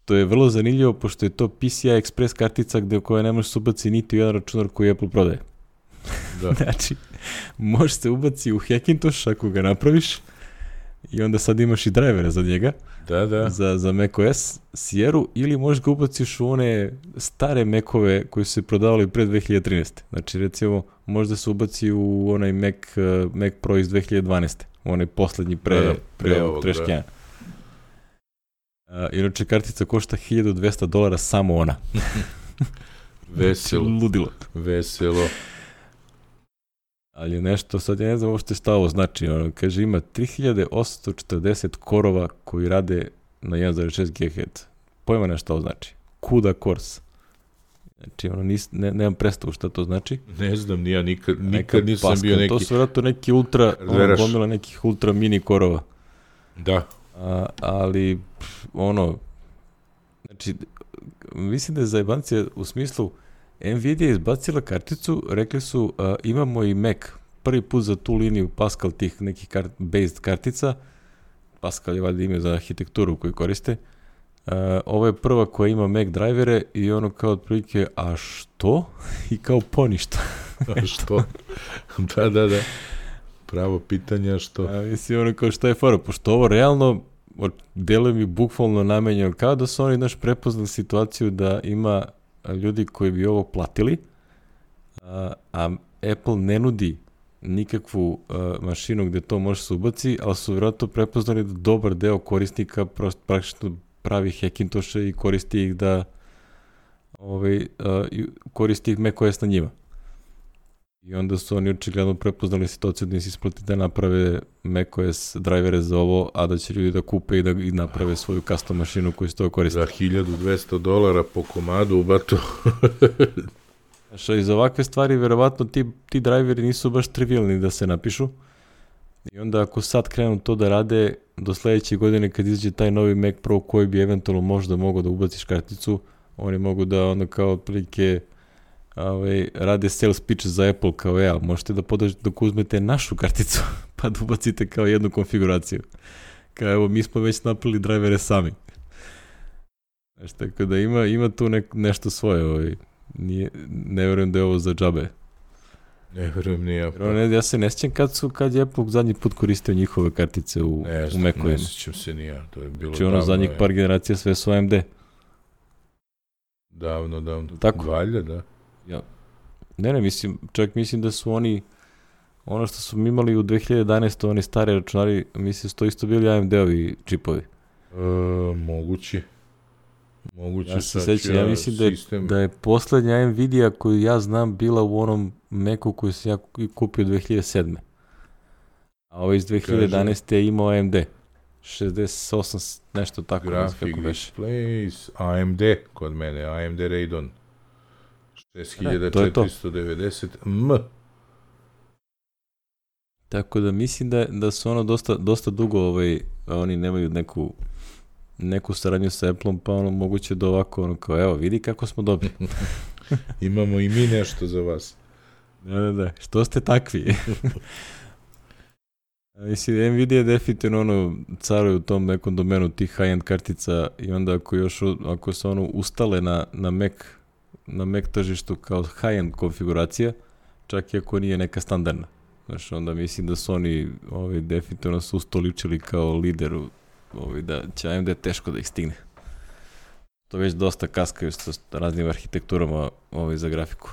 To je vrlo zanimljivo, pošto je to P C I Express kartica gde koja ne može se ubaci niti u jedan računar koji Apple prodaje. Da. Znači, može se ubaci u Hackintosh ako ga napraviš i onda sad imaš i drivera za njega. Da, da. Za, za macOS Sierru, ili možeš ga ubaciš u one stare Macove koji su se prodavali pre dve hiljade trinaeste. Znači, recimo, možda se ubaci u onaj Mac, uh, Mac Pro iz dve hiljade dvanaeste. U onaj poslednji pre, da, da, pre, pre ovog treškena. Uh, inače, kartica košta hiljadu dvesta dolara samo ona. Veselo. Ludilo. Veselo. Ali je nešto, sad ja ne znam uopšte šta ovo znači. Ono, kaže, ima tri hiljade osamsto četrdeset korova koji rade na jedan zarez šest gigaherca. Pojma ne šta ovo znači. CUDA cores. Znači, ono, nis, ne, nemam predstavu šta to znači. Ne znam, nija nikad, nikad nisam Pascal, bio neki... To su vjerojatno neki ultra, ono, gomila nekih ultra mini korova. Da. A, ali, ono, znači, mislim da je zajebancija u smislu, Nvidia je izbacila karticu, rekli su uh, imamo i Mac, prvi put za tu liniju Pascal tih nekih kart, based kartica, Pascal je valjda ime za arhitekturu koju koriste, uh, ovo je prva koja ima Mac drivere i ono kao otprilike, a što? I kao poništa. A što? Da, da, da. Pravo pitanje, što? A, mislim, ono kao šta je fora, pošto ovo realno deluje mi bukvalno namenjeno, kao da su oni naš prepoznali situaciju da ima ljudi koji bi ovo platili, a, a Apple ne nudi nikakvu a, mašinu gde to može se ubaci, ali su vjerojatno prepoznali da dobar deo korisnika prosto praktično pravi Hackintoshe i koristi ih da ovaj, a, koristi ih macOS na njima. I onda su oni očigledno prepoznali situaciju da im se isplati da naprave macOS drivere za ovo, a da će ljudi da kupe i da i naprave svoju custom mašinu koju se to koriste. Za hiljadu dvesta dolara po komadu u batu. Znaš, iz ovakve stvari, verovatno ti, ti driveri nisu baš trivialni da se napišu. I onda ako sad krenu to da rade, do sledeće godine kad izađe taj novi Mac Pro koji bi eventualno možda mogao da ubaciš karticu, oni mogu da onda kao otprilike Ove, rade sales pitch za Apple kao ja, možete da podržite dok uzmete našu karticu pa da ubacite kao jednu konfiguraciju. Kao evo, mi smo već napravili drivere sami. Znaš, tako da ima, ima tu ne, nešto svoje. Ovaj. Nije, ne vjerujem da je ovo za džabe. Ne vjerujem ni ja. Pa. Ne, ja se ne sjećam kad, su, kad je Apple zadnji put koristio njihove kartice u, ne, u Macu. Ne sjećam se ni ja. To je bilo znači ono zadnjih par generacija sve su A M D. Davno, davno. Tako? Valja, da. Ja. Ne, ne, mislim, čak mislim da su oni, ono što su imali u dve hiljade jedanaeste oni stari računari, mislim, to isto bili A M D-ovi čipovi. E, moguće. Moguće. Ja se sećam, ja mislim da je, da je poslednja Nvidia koju ja znam bila u onom Macu koju sam ja kupio dve hiljade sedme. A ovo iz dve hiljade jedanaeste je imao A M D. šezdeset osam, nešto tako. Graphic Displays, A M D kod mene, A M D Radeon. šest hiljada četiristo devedeset M. Tako da mislim da, da su ono dosta, dosta dugo, ovaj, oni nemaju neku, neku saradnju sa Apple-om, pa ono moguće da ovako, ono kao, evo, vidi kako smo dobri. Imamo i mi nešto za vas. Da, da, da, što ste takvi? Mislim, Nvidia je definitivno ono, caruje u tom nekom domenu tih high-end kartica i onda ako još, ako se ono ustale na, na Mac, na Mac tržištu kao high-end konfiguracija, čak i ako nije neka standardna. Znaš, onda mislim da su oni ovaj, definitivno su ustoličili kao lider, ovaj, da će A M D teško da ih stigne. To već dosta kaskaju sa raznim arhitekturama ovaj, za grafiku.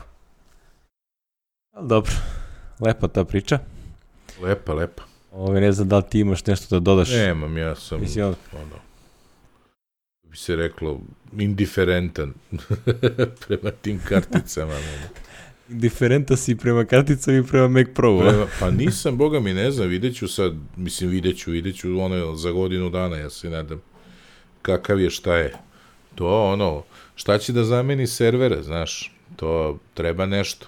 Ali dobro, lepa ta priča. Lepa, lepa. Ovaj, ne znam da li ti imaš nešto da dodaš. Nemam, ja sam, mislim, ono, bi se reklo, indiferentan prema tim karticama. Indiferenta si prema karticama i prema Mac Pro. Prema, pa nisam, boga mi ne znam, vidjet ću sad, mislim vidjet ću, vidjet ću ono za godinu dana, ja se nadam kakav je, šta je. To ono, šta će da zameni servere, znaš, to treba nešto.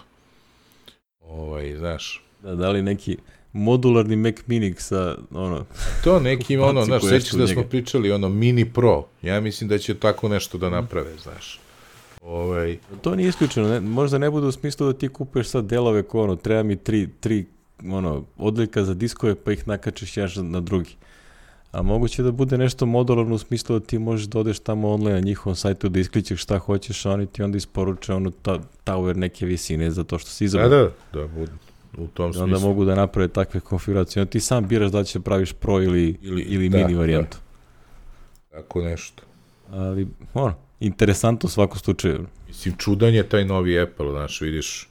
Ovaj, znaš. Da, da li neki modularni Mac Mini sa, ono... To neki, ono, znaš, koja sećaš su da njega. smo pričali, ono, Mini Pro. Ja mislim da će tako nešto da naprave, znaš. Ovaj... To nije isključeno, ne, možda ne bude u smislu da ti kupuješ sad delove ko, ono, treba mi tri, tri ono, odlika za diskove pa ih nakačiš jedan na drugi. A moguće da bude nešto modularno u smislu da ti možeš da odeš tamo online na njihovom sajtu da iskličeš šta hoćeš, a oni ti onda isporuče ono ta, tower neke visine za to što si izabrao. Da, da, da, bude u tom smislu. Onda mogu da naprave takve konfiguracije. Onda ti sam biraš da li će praviš pro ili, ili, ili da, mini varijantu. Da. Tako nešto. Ali, ono, interesantno u svakom slučaju. Mislim, čudan je taj novi Apple, znaš, vidiš,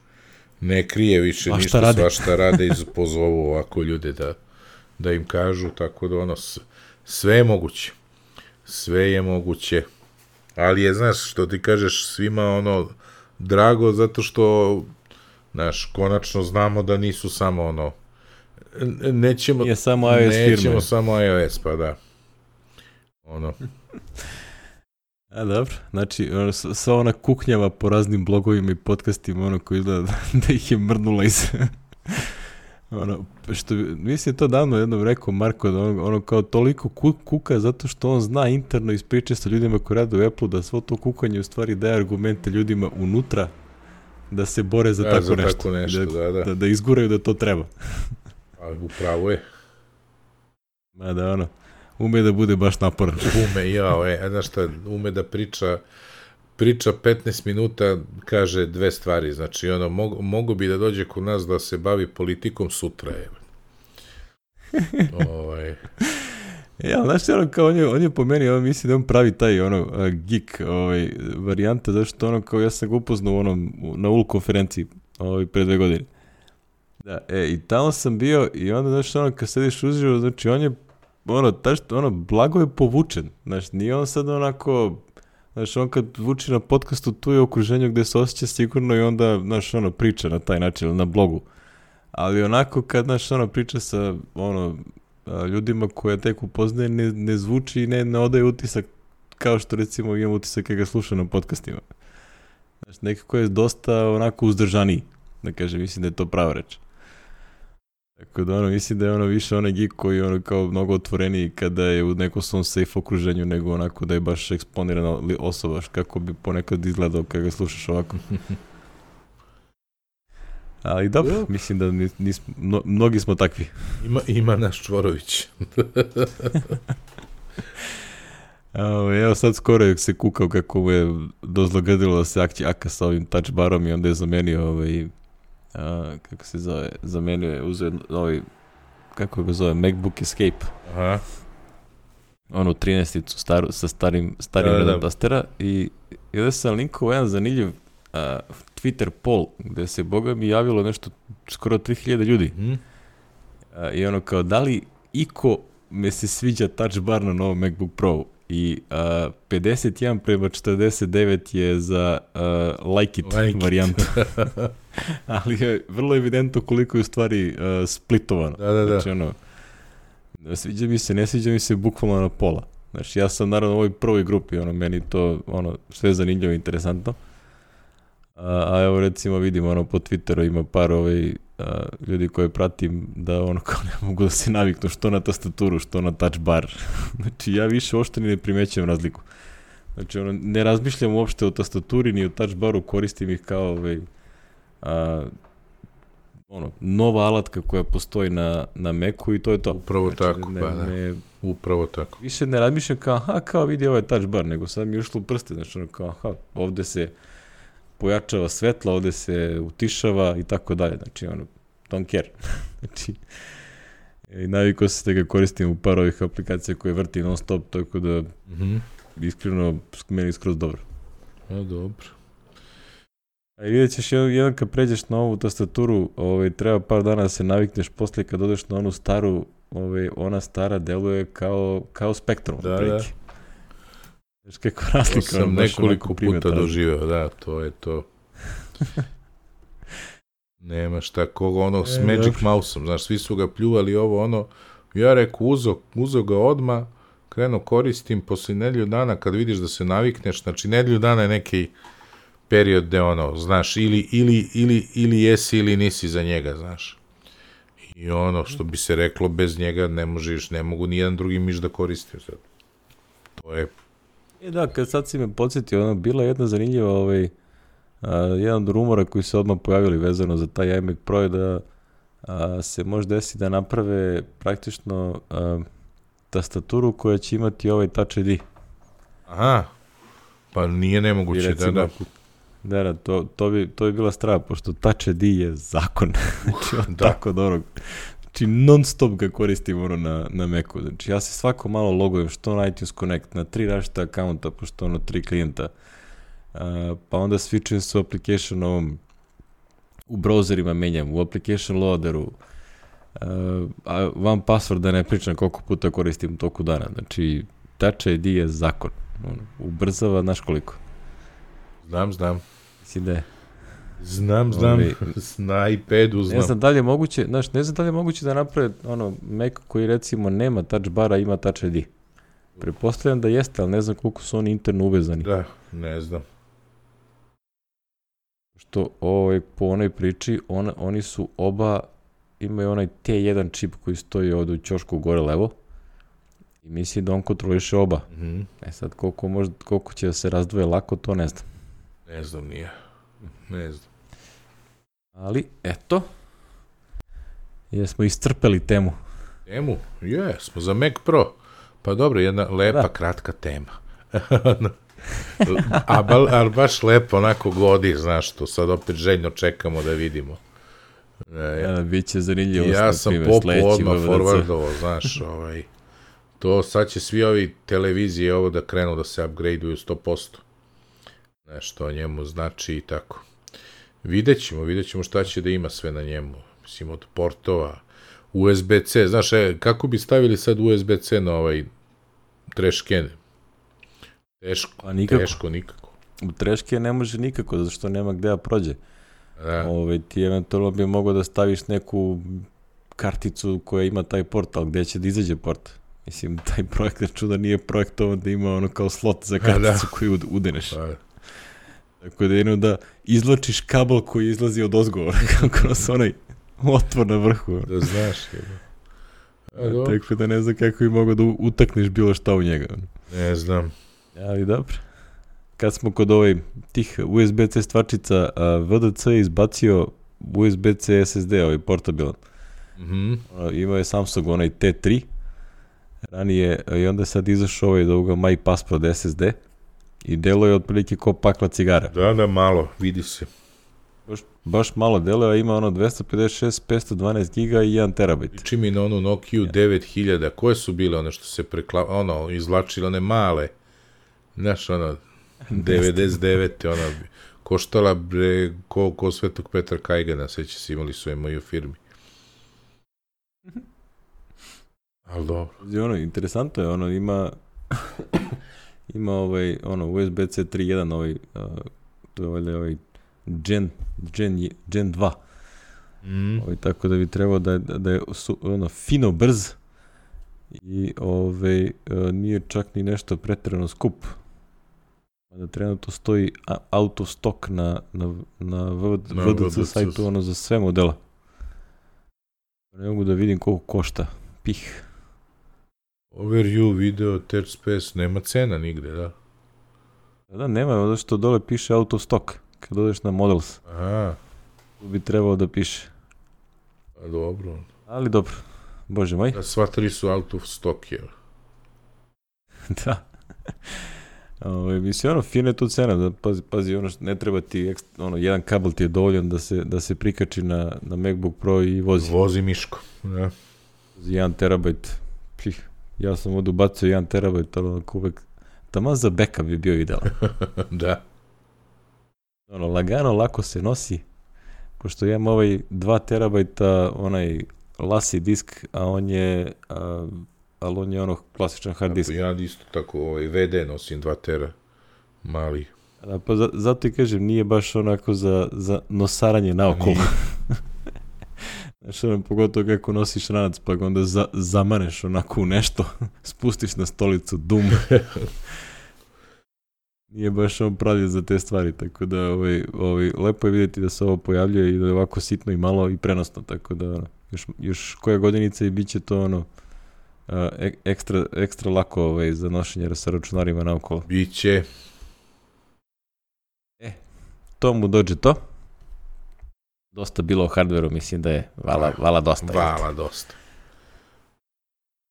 ne krije više a ništa, rade? svašta rade i pozovu ovako ljude da, da im kažu, tako da ono, sve je moguće. Sve je moguće. Ali je, znaš, što ti kažeš, svima ono, drago, zato što, znaš, konačno znamo da nisu samo ono, nećemo, nije samo iOS nećemo firme. samo iOS, pa da. Ono. A dobro, znači ono, sva ona kuknjava po raznim blogovima i podcastima, ono koji izgleda da ih je mrnula iz... ono, što, mislim to davno jednom rekao Marko, da ono, ono kao toliko kuka zato što on zna interno iz priče sa ljudima koji rade u Apple da svo to kukanje u stvari daje argumente ljudima unutra da se bore za, da, tako, za nešto, tako nešto. Da, da, da. Da, da izguraju da to treba. A upravo je. Ma da ono, ume da bude baš naporan. Ume, jao, e, znaš šta, ume da priča, priča petnaest minuta, kaže dve stvari, znači, ono, mogu, mogu bi da dođe kod nas da se bavi politikom sutra, je. ovaj... Ja, znaš, ono, kao on je, on je po meni, on misli da on pravi taj, ono, uh, geek, ovaj, varijanta, zašto ono, kao ja sam ga upoznao u onom, na U L konferenciji, ovaj, pre dve godine. Da, e, i tamo sam bio i onda, znaš, ono, kad sediš uživo, znači, on je, ono, taš, ono, blago je povučen, znaš, nije on sad onako, znaš, on kad vuči na podcastu, tu je okruženju gde se osjeća sigurno i onda, znaš, ono, priča na taj način, na blogu. Ali onako, kad, znaš, ono, priča sa, ono, ljudima koje tek upoznaje, ne, ne zvuči i ne, ne odaje utisak kao što, recimo, imam utisak kada ga slušam na podcastima. Znaš, nekako je dosta onako uzdržaniji, da kažem, mislim da je to prava reč. Tako da, ono, mislim da je ono više onaj geek koji je ono kao mnogo otvoreniji kada je u nekom svom safe okruženju, nego onako da je baš eksponirana osoba, kako bi ponekad izgledao kada ga slušaš ovako. Ali dobro, Jop. mislim da nis, nis, mno, mnogi smo takvi. Ima, ima naš Čvorović. Evo sad skoro je se kukao kako mu je dozlogadilo da se akći aka sa ovim touch barom i onda je zamenio ovaj, a, kako se zove, zamenio je, uzeo ovaj, kako ga zove, MacBook Escape. Aha. Onu trinaesticu staru, sa starim, starim da, redom da. tastera i ovdje sam linkao jedan zanimljiv Uh, Twitter poll, gde se, boga mi, javilo nešto skoro tri hiljade ljudi. Mm. Uh, I ono kao, da li iko me se sviđa touch bar na novom MacBook Pro? I uh, pedeset jedan prema četrdeset devet je za uh, like it like varijantu. Ali je vrlo evidentno koliko je u stvari uh, splitovano. Da, da, da. Znači, ono, sviđa mi se, ne sviđa mi se bukvalno na pola. Znači, ja sam naravno u ovoj prvoj grupi, ono, meni to, ono, sve zanimljivo i interesantno. A, a evo recimo vidim ono po Twitteru ima par ovaj, a, ljudi koje pratim da ono kao ne mogu da se naviknu što na tastaturu, što na touch bar. Znači ja više uopšte ni ne primećujem razliku. Znači ono, ne razmišljam uopšte o tastaturi ni o touch baru, koristim ih kao ovaj, a, ono, nova alatka koja postoji na, na Macu i to je to. Upravo znači, tako, ne, pa da. Ne, Upravo tako. više ne razmišljam kao, aha, kao vidi ovaj touch bar, nego sad mi je ušlo u prste, znači ono kao, aha, ovde se pojačava svetla, ovde se utišava i tako dalje, znači ono, don't care. Znači, i navikao se da ga koristim u par ovih aplikacija koje vrti non stop, tako da mm-hmm. iskreno meni skroz dobro. A, dobro. A i vidjet ćeš jedan kad pređeš na ovu tastaturu, ovaj, treba par dana da se navikneš, poslije kad odeš na onu staru, ovaj, ona stara deluje kao, kao Spectrum. Da, da. Znaš kako razlika. To sam nekoliko puta doživeo, da, to je to. Nema šta, koga ono s e, Magic dobro. Mouseom, znaš, svi su ga pljuvali ovo, ono, ja reku, uzo, uzo ga odmah, krenuo koristim, posle nedelju dana, kad vidiš da se navikneš, znači nedelju dana je neki period gde ono, znaš, ili, ili, ili, ili jesi ili nisi za njega, znaš. I ono, što bi se reklo, bez njega ne možeš, ne mogu ni jedan drugi miš da koristim sad. To je... E da, kad sad si me podsjetio, ono, bila je jedna zanimljiva, ovaj, a, jedan od rumora koji se odmah pojavili vezano za taj iMac Pro je da a, se može desiti da naprave praktično a, tastaturu koja će imati ovaj Touch I D. Aha, pa nije nemoguće, recimo, da, da. Da, da, to, to, bi, to bi bila strava, pošto Touch I D je zakon. Znači, on da. Tako dobro. Znači, non stop ga koristim ono na, na Macu. Znači, ja se svako malo logujem, što na iTunes Connect, na tri različita akaunta, pošto ono tri klijenta. Uh, pa onda switchujem se u application ovom, u browserima menjam, u application loaderu, uh, a van password da ne pričam koliko puta koristim toku dana. Znači, Touch I D je zakon. On ubrzava, znaš koliko. Znam, znam. Mislim da je. Znam, znam, Ovi, na iPadu znam. Ne znam da li je moguće, znaš, ne znam da li je moguće da naprave ono, Mac koji recimo nema touch bara, ima Touch I D. Pretpostavljam da jeste, ali ne znam koliko su oni interno uvezani. Da, ne znam. Što ovaj, po onoj priči, on, oni su oba, imaju onaj T jedan čip koji stoji ovdje u ćošku gore levo i mislim da on kontroliše oba. Mm-hmm. E sad, koliko, možda, koliko će da se razdvoje lako, to ne znam. Ne znam, nije. Ne znam. Ali, eto, jesmo iscrpeli temu. Temu? Je, smo za Mac Pro. Pa dobro, jedna lepa, da. kratka tema. a, ba, a baš lepo, onako godi, znaš, to sad opet željno čekamo da vidimo. E, ja, biće zanimljivo. Ja sam popu odmah forwardovao, znaš, ovaj, to sad će svi ovi televizije ovo da krenu da se upgradeuju sto posto. Nešto o njemu znači i tako. Vidjet ćemo, vidjet ćemo šta će da ima sve na njemu. Mislim, od portova, U S B C. Znaš, e, kako bi stavili sad U S B C na ovaj trešken? Teško, pa nikako. teško, nikako. U treške ne može nikako, zato što nema gde da prođe. Da. Ove, ti eventualno bi mogao da staviš neku karticu koja ima taj port, ali gde će da izađe port? Mislim, taj projekat čuda nije projektovan da ima ono kao slot za karticu koju udeneš. Pa. Tako da jedno da izlačiš kabel koji izlazi od ozgovora, kako nas onaj otvor na vrhu. Da znaš. A, tako da ne znam kako bi mogao da utakneš bilo šta u njega. Ne znam. Ali dobro. Kad smo kod ovaj, tih U S B C stvačica, V D C je izbacio U S B C S S D, ovaj portabilan. Mm-hmm. Imao je Samsung onaj T tri, ranije, i onda je sad izašao ovaj do ovoga MyPassport S S D i delo je otprilike ko pakla cigara. Da, da, malo, vidi se. Baš, baš malo delo, a ima ono dvesta pedeset šest, petsto dvanaest giga i jedan terabajt. Liči mi na onu Nokia ja. devet hiljada, koje su bile one što se prekla, ono, izvlačile one male, znaš, ono, devedeset devete ona koštala bre, ko, ko Svetog Petra Kajgana, sveće se imali su je moji u firmi. Ali dobro. Ono, interesantno je, ono, ima ima ovaj, ono, U S B C tri jedan, ovaj, uh, to je ovaj, ovaj Gen, Gen, Gen dva. Mm. Ovaj, tako da bi trebao da, da je su, ono, fino brz i ovaj, uh, nije čak ni nešto pretjerano skup. Da trenutno stoji out of stock na, na, na V D C sajtu ono za sve modela. Ne mogu da vidim koliko košta. Pih. Overview, video, third space, nema cena nigde, da? Da, nema, zato što dole piše out of stock. Kad odeš na models. Aha. Tu bi trebalo da piše. A dobro. Ali dobro. Bože moj. Da, sva tri su out of stock, jel? Da. Ove, mislim, ono, fina je tu cena, da, pazi, pazi, ono, ne treba ti, ono, jedan kabel ti je dovoljan da se, da se prikači na, na MacBook Pro i vozi. Vozi miško, da. jedan terabajt, pih, ja sam ovdje ubacio jedan terabajt, ali onako uvek, taman za backup bi bio idealan. Da. Ono, lagano, lako se nosi, pošto imam ovaj dva terabajta, onaj lasi disk, a on je... A, ali on je ono klasičan hard disk. Ja isto tako ovaj, V D nosim dva tera, mali. Da, pa za, zato i kažem, nije baš onako za, za nosaranje naokolo. Znaš, ono, pogotovo kako nosiš ranac, pa ga onda za, zamaneš onako u nešto, spustiš na stolicu, dum. nije baš on pravio za te stvari, tako da ovaj, ovaj, lepo je vidjeti da se ovo pojavljuje i da je ovako sitno i malo i prenosno, tako da još, još koja godinica i bit će to ono uh, ekstra, ekstra lako ovaj, za nošenje sa računarima naokolo. Biće. E, to mu dođe to. Dosta bilo o hardveru, mislim da je vala, vala dosta. Vala dosta.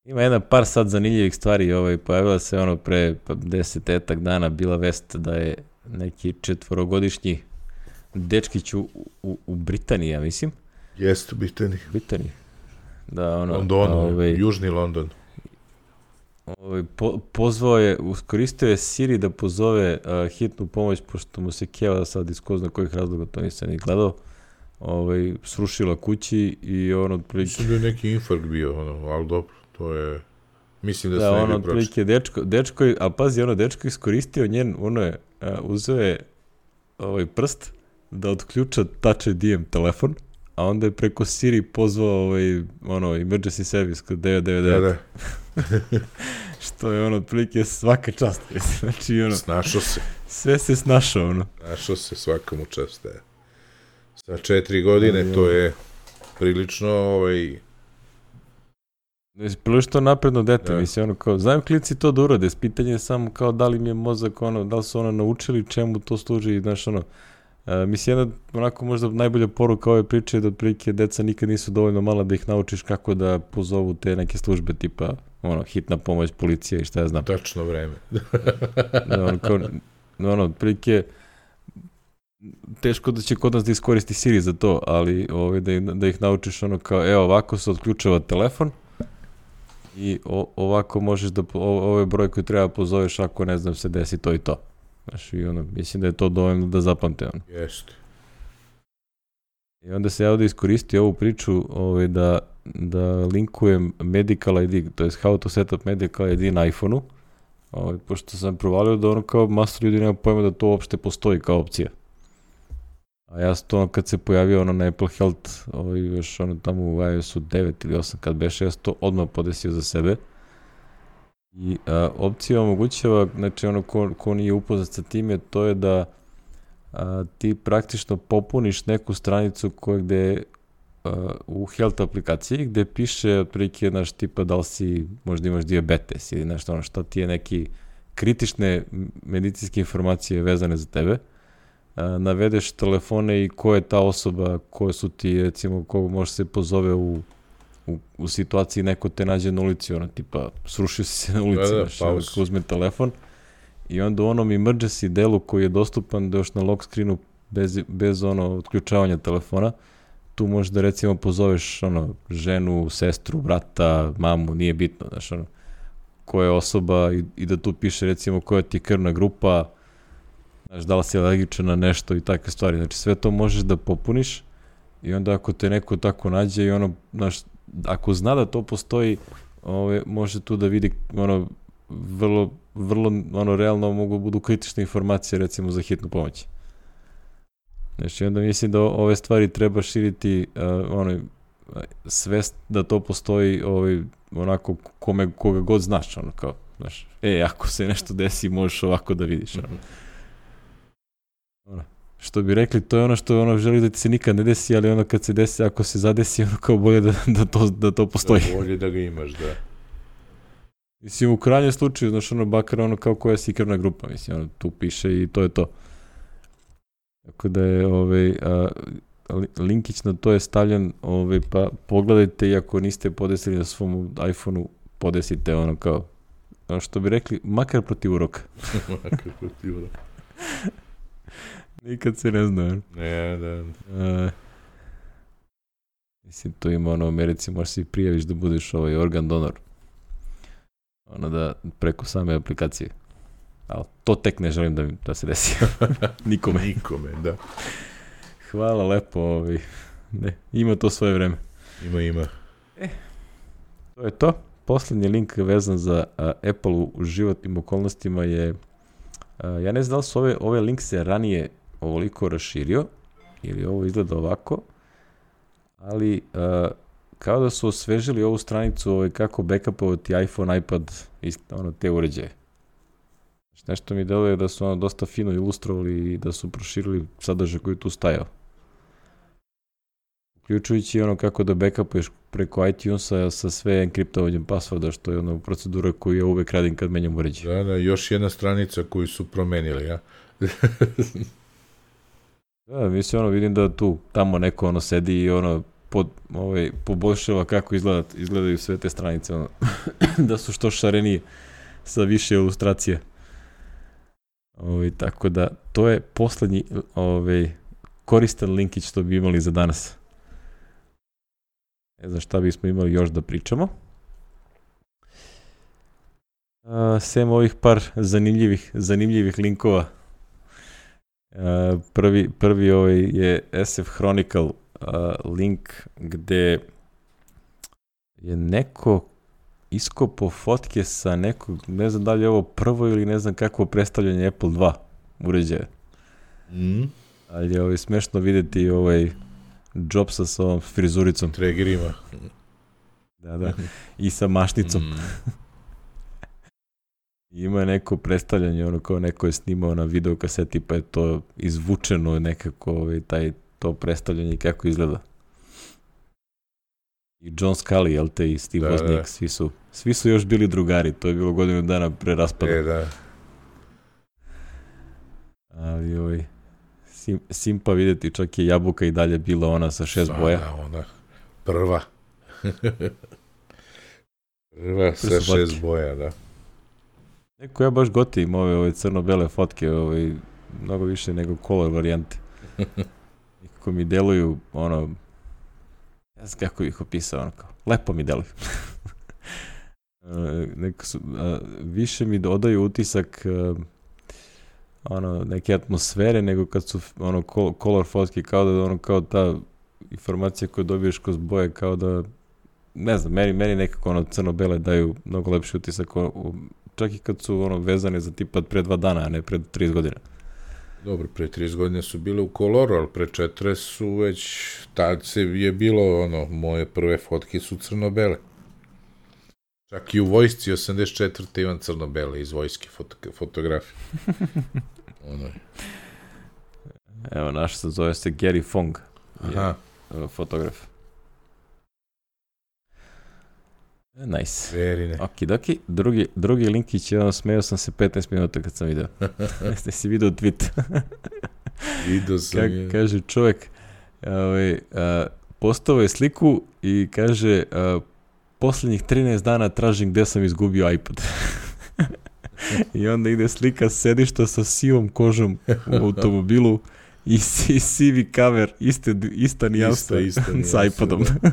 Ima jedan par sad zanimljivih stvari, ovaj, pojavila se ono pre desetetak dana bila vest da je neki četvorogodišnji dečkić u, u, u Britaniji, ja mislim. Jeste u Britaniji. Britaniji. Da, ono, Londonu, ovaj, južni London. Ovaj, po, pozvao je, uskoristio je Siri da pozove uh, hitnu pomoć, pošto mu se keva sad iz ko zna kojih razloga, to nisam ni gledao. Ovaj, srušila kući i ono otprilike... Mislim da je neki infarkt bio, ono, ali dobro, to je... Mislim da, da se ne bi ono otprilike dečko, dečko, a pazi, ono dečko iskoristio njen, ono je, a, uzeo je ovaj prst da otključa Touch I D telefon, a onda je preko Siri pozvao ovaj, ono, emergency service kod devet devet devet. Da, da. Što je ono otprilike svaka čast. Znači, ono... Snašao se. Sve se snašao, ono. Snašao se, svaka mu čast, je. Sa četiri godine, to je prilično, ovaj... Prilično napredno dete, ja. Mislim, ono kao, znaju klici to da urade, pitanje je samo kao da li mi je mozak, ono, da li su ono naučili čemu to služi, znaš, ono, a, mislim, jedna, onako, možda najbolja poruka ove priče je da otprilike deca nikad nisu dovoljno mala da ih naučiš kako da pozovu te neke službe, tipa, ono, hitna pomoć, policija i šta ja znam. Tačno vreme. da, ono, kao, ono, otprilike, teško da će kod nas da iskoristi Siri za to, ali ovaj, da, da ih naučiš ono kao, evo ovako se otključava telefon i o, ovako možeš da, o, ove broj koji treba pozoveš ako ne znam se desi to i to. Znaš, i ono, mislim da je to dovoljno da zapamte ono. Jeste. I onda se ja ovdje iskoristi ovu priču ovaj, da, da linkujem Medical I D, to je how to set up Medical I D na iPhone-u, ovaj, pošto sam provalio da ono kao master ljudi nema pojma da to uopšte postoji kao opcija. A ja sam to kad se pojavio ono na Apple Health, ovaj, još ono tamo u iOS-u devet ili osam kad beše, ja sam to odmah podesio za sebe. I a, opcija omogućava, znači ono ko, ko nije upoznat sa time, to je da a, ti praktično popuniš neku stranicu koja gde a, u Health aplikaciji gde piše otprilike naš tipa da li si, možda imaš dijabetes ili nešto ono što ti je neki kritične medicinske informacije vezane za tebe. Navedeš telefone i ko je ta osoba, koje su ti, recimo, koga može se pozove u, u, u situaciji neko te nađe na ulici, ono, tipa, srušio si se na ulici, da, da, znaš, pa uzme telefon i onda u onom emergency delu koji je dostupan da još na lock screenu bez, bez ono otključavanja telefona, tu možeš da, recimo, pozoveš ono, ženu, sestru, brata, mamu, nije bitno, znaš, ono, koja je osoba i, i da tu piše, recimo, koja ti je krvna grupa, znaš, da li si alergičan na nešto i takve stvari. Znači, sve to možeš da popuniš i onda ako te neko tako nađe i ono, znaš, ako zna da to postoji, ove, može tu da vidi, ono, vrlo, vrlo, ono, realno mogu budu kritične informacije, recimo, za hitnu pomoć. Znači, onda mislim da ove stvari treba širiti, uh, ono, svest da to postoji, ovaj, onako, kome, koga god znaš, ono, kao, znaš, e, ako se nešto desi, možeš ovako da vidiš, ono. Ono, što bi rekli, to je ono što ono želi da ti se nikad ne desi, ali ono kad se desi, ako se zadesi, ono kao bolje da, da, to, da to postoji. Da, bolje da ga imaš, da. Mislim, u krajnjem slučaju, znaš, ono, bakar, ono, kao koja si krvna grupa, mislim, ono, tu piše i to je to. Tako da je, ovaj, a, linkić na to je stavljen, ovaj, pa pogledajte i ako niste podesili na svom iPhone-u, podesite, ono, kao, ono što bi rekli, makar protiv uroka. Makar protiv uroka. Nikad se ne zna. Ne, da. Uh, mislim, to ima ono u Americi, možeš se i prijaviš da budeš ovaj organ donor. Ono da, preko same aplikacije. Ali to tek ne želim da, da se desi. Nikome. Nikome, da. Hvala lepo. Ovaj. Ne, ima to svoje vreme. Ima, ima. E, to je to. Poslednji link vezan za uh, Apple u životnim okolnostima je, uh, ja ne znam da li su ove, ove link se ranije ovoliko raširio, ili ovo izgleda ovako, ali uh, kao da su osvežili ovu stranicu ovaj, kako backupovati iPhone, iPad i ono, te uređaje. Nešto mi deluje da su ono dosta fino ilustrovali i da su proširili sadržaj koji tu stajao. Uključujući ono kako da backupuješ preko iTunesa sa sve enkriptovanjem passworda, što je ono procedura koju ja uvek radim kad menjam uređaj. Da, da, još jedna stranica koju su promenili, ja. Da, mislim, ono, vidim da tu, tamo neko ono sedi i ono pod, ovaj, poboljšava kako izgleda, izgledaju sve te stranice, ono, da su što šarenije, sa više ilustracije. Ovaj, tako da, to je poslednji ovaj, koristan linkić što bi imali za danas. Ne znam šta bismo imali još da pričamo. Uh, sem ovih par zanimljivih, zanimljivih linkova. Uh, prvi, prvi ovaj je S F Chronicle uh, link gde je neko iskopo fotke sa nekog, ne znam da li je ovo prvo ili ne znam kakvo predstavljanje Apple dva uređaja. Mm. Ali je ovaj smešno videti ovaj Jobsa sa ovom frizuricom. Tregerima. Da, da. I sa mašnicom. Mm. Ima neko predstavljanje, ono kao neko je snimao na videokaseti, pa je to izvučeno nekako, ovaj, taj, to predstavljanje kako izgleda. I John Scully, jel te, i Steve da, Wozniak, da. svi su, svi su još bili drugari, to je bilo godinu dana pre raspada. E, da. Ali, ovaj, sim, simpa videti, čak je jabuka i dalje bila ona sa šest Sva, boja. Da, ona prva. Prva sa su šest fotke. boja, da. Neko ja baš gotivim ove, ove crno-bele fotke, ovaj, mnogo više nego color varijante. Kako mi deluju, ono, ne znam kako ih opisao, ono kao, lepo mi deluju. Neko su, a, više mi dodaju utisak a, ono, neke atmosfere nego kad su ono color fotke, kao da ono, kao ta informacija koju dobiješ kroz boje, kao da, ne znam, meni, meni nekako ono crno-bele daju mnogo lepši utisak, o, čak i kad su ono vezane za tipa pre dva dana, a ne pre trideset godina. Dobro, pre trideset godine su bile u koloru, ali pre četrdeset su već, tad se je bilo, ono, moje prve fotke su crno-bele. Čak i u vojsci osamdeset četvrte imam crno-bele iz vojske foto, fotografije. Ono. Evo, naš se zove se Gary Fong. Aha. Je, fotograf. Nice. Verine. Okidoki. Drugi, drugi linkić, jedan smeo sam se petnaest minuta kad sam video. Jeste si video tweet. Vidio sam Ka, je. kaže čovjek, ovaj, a, postao je sliku i kaže, a, posljednjih trinaest dana tražim gde sam izgubio iPod. I onda ide slika sedišta sa sivom kožom u automobilu i si, sivi cover, iste, ista nijansa sa iPodom. Da.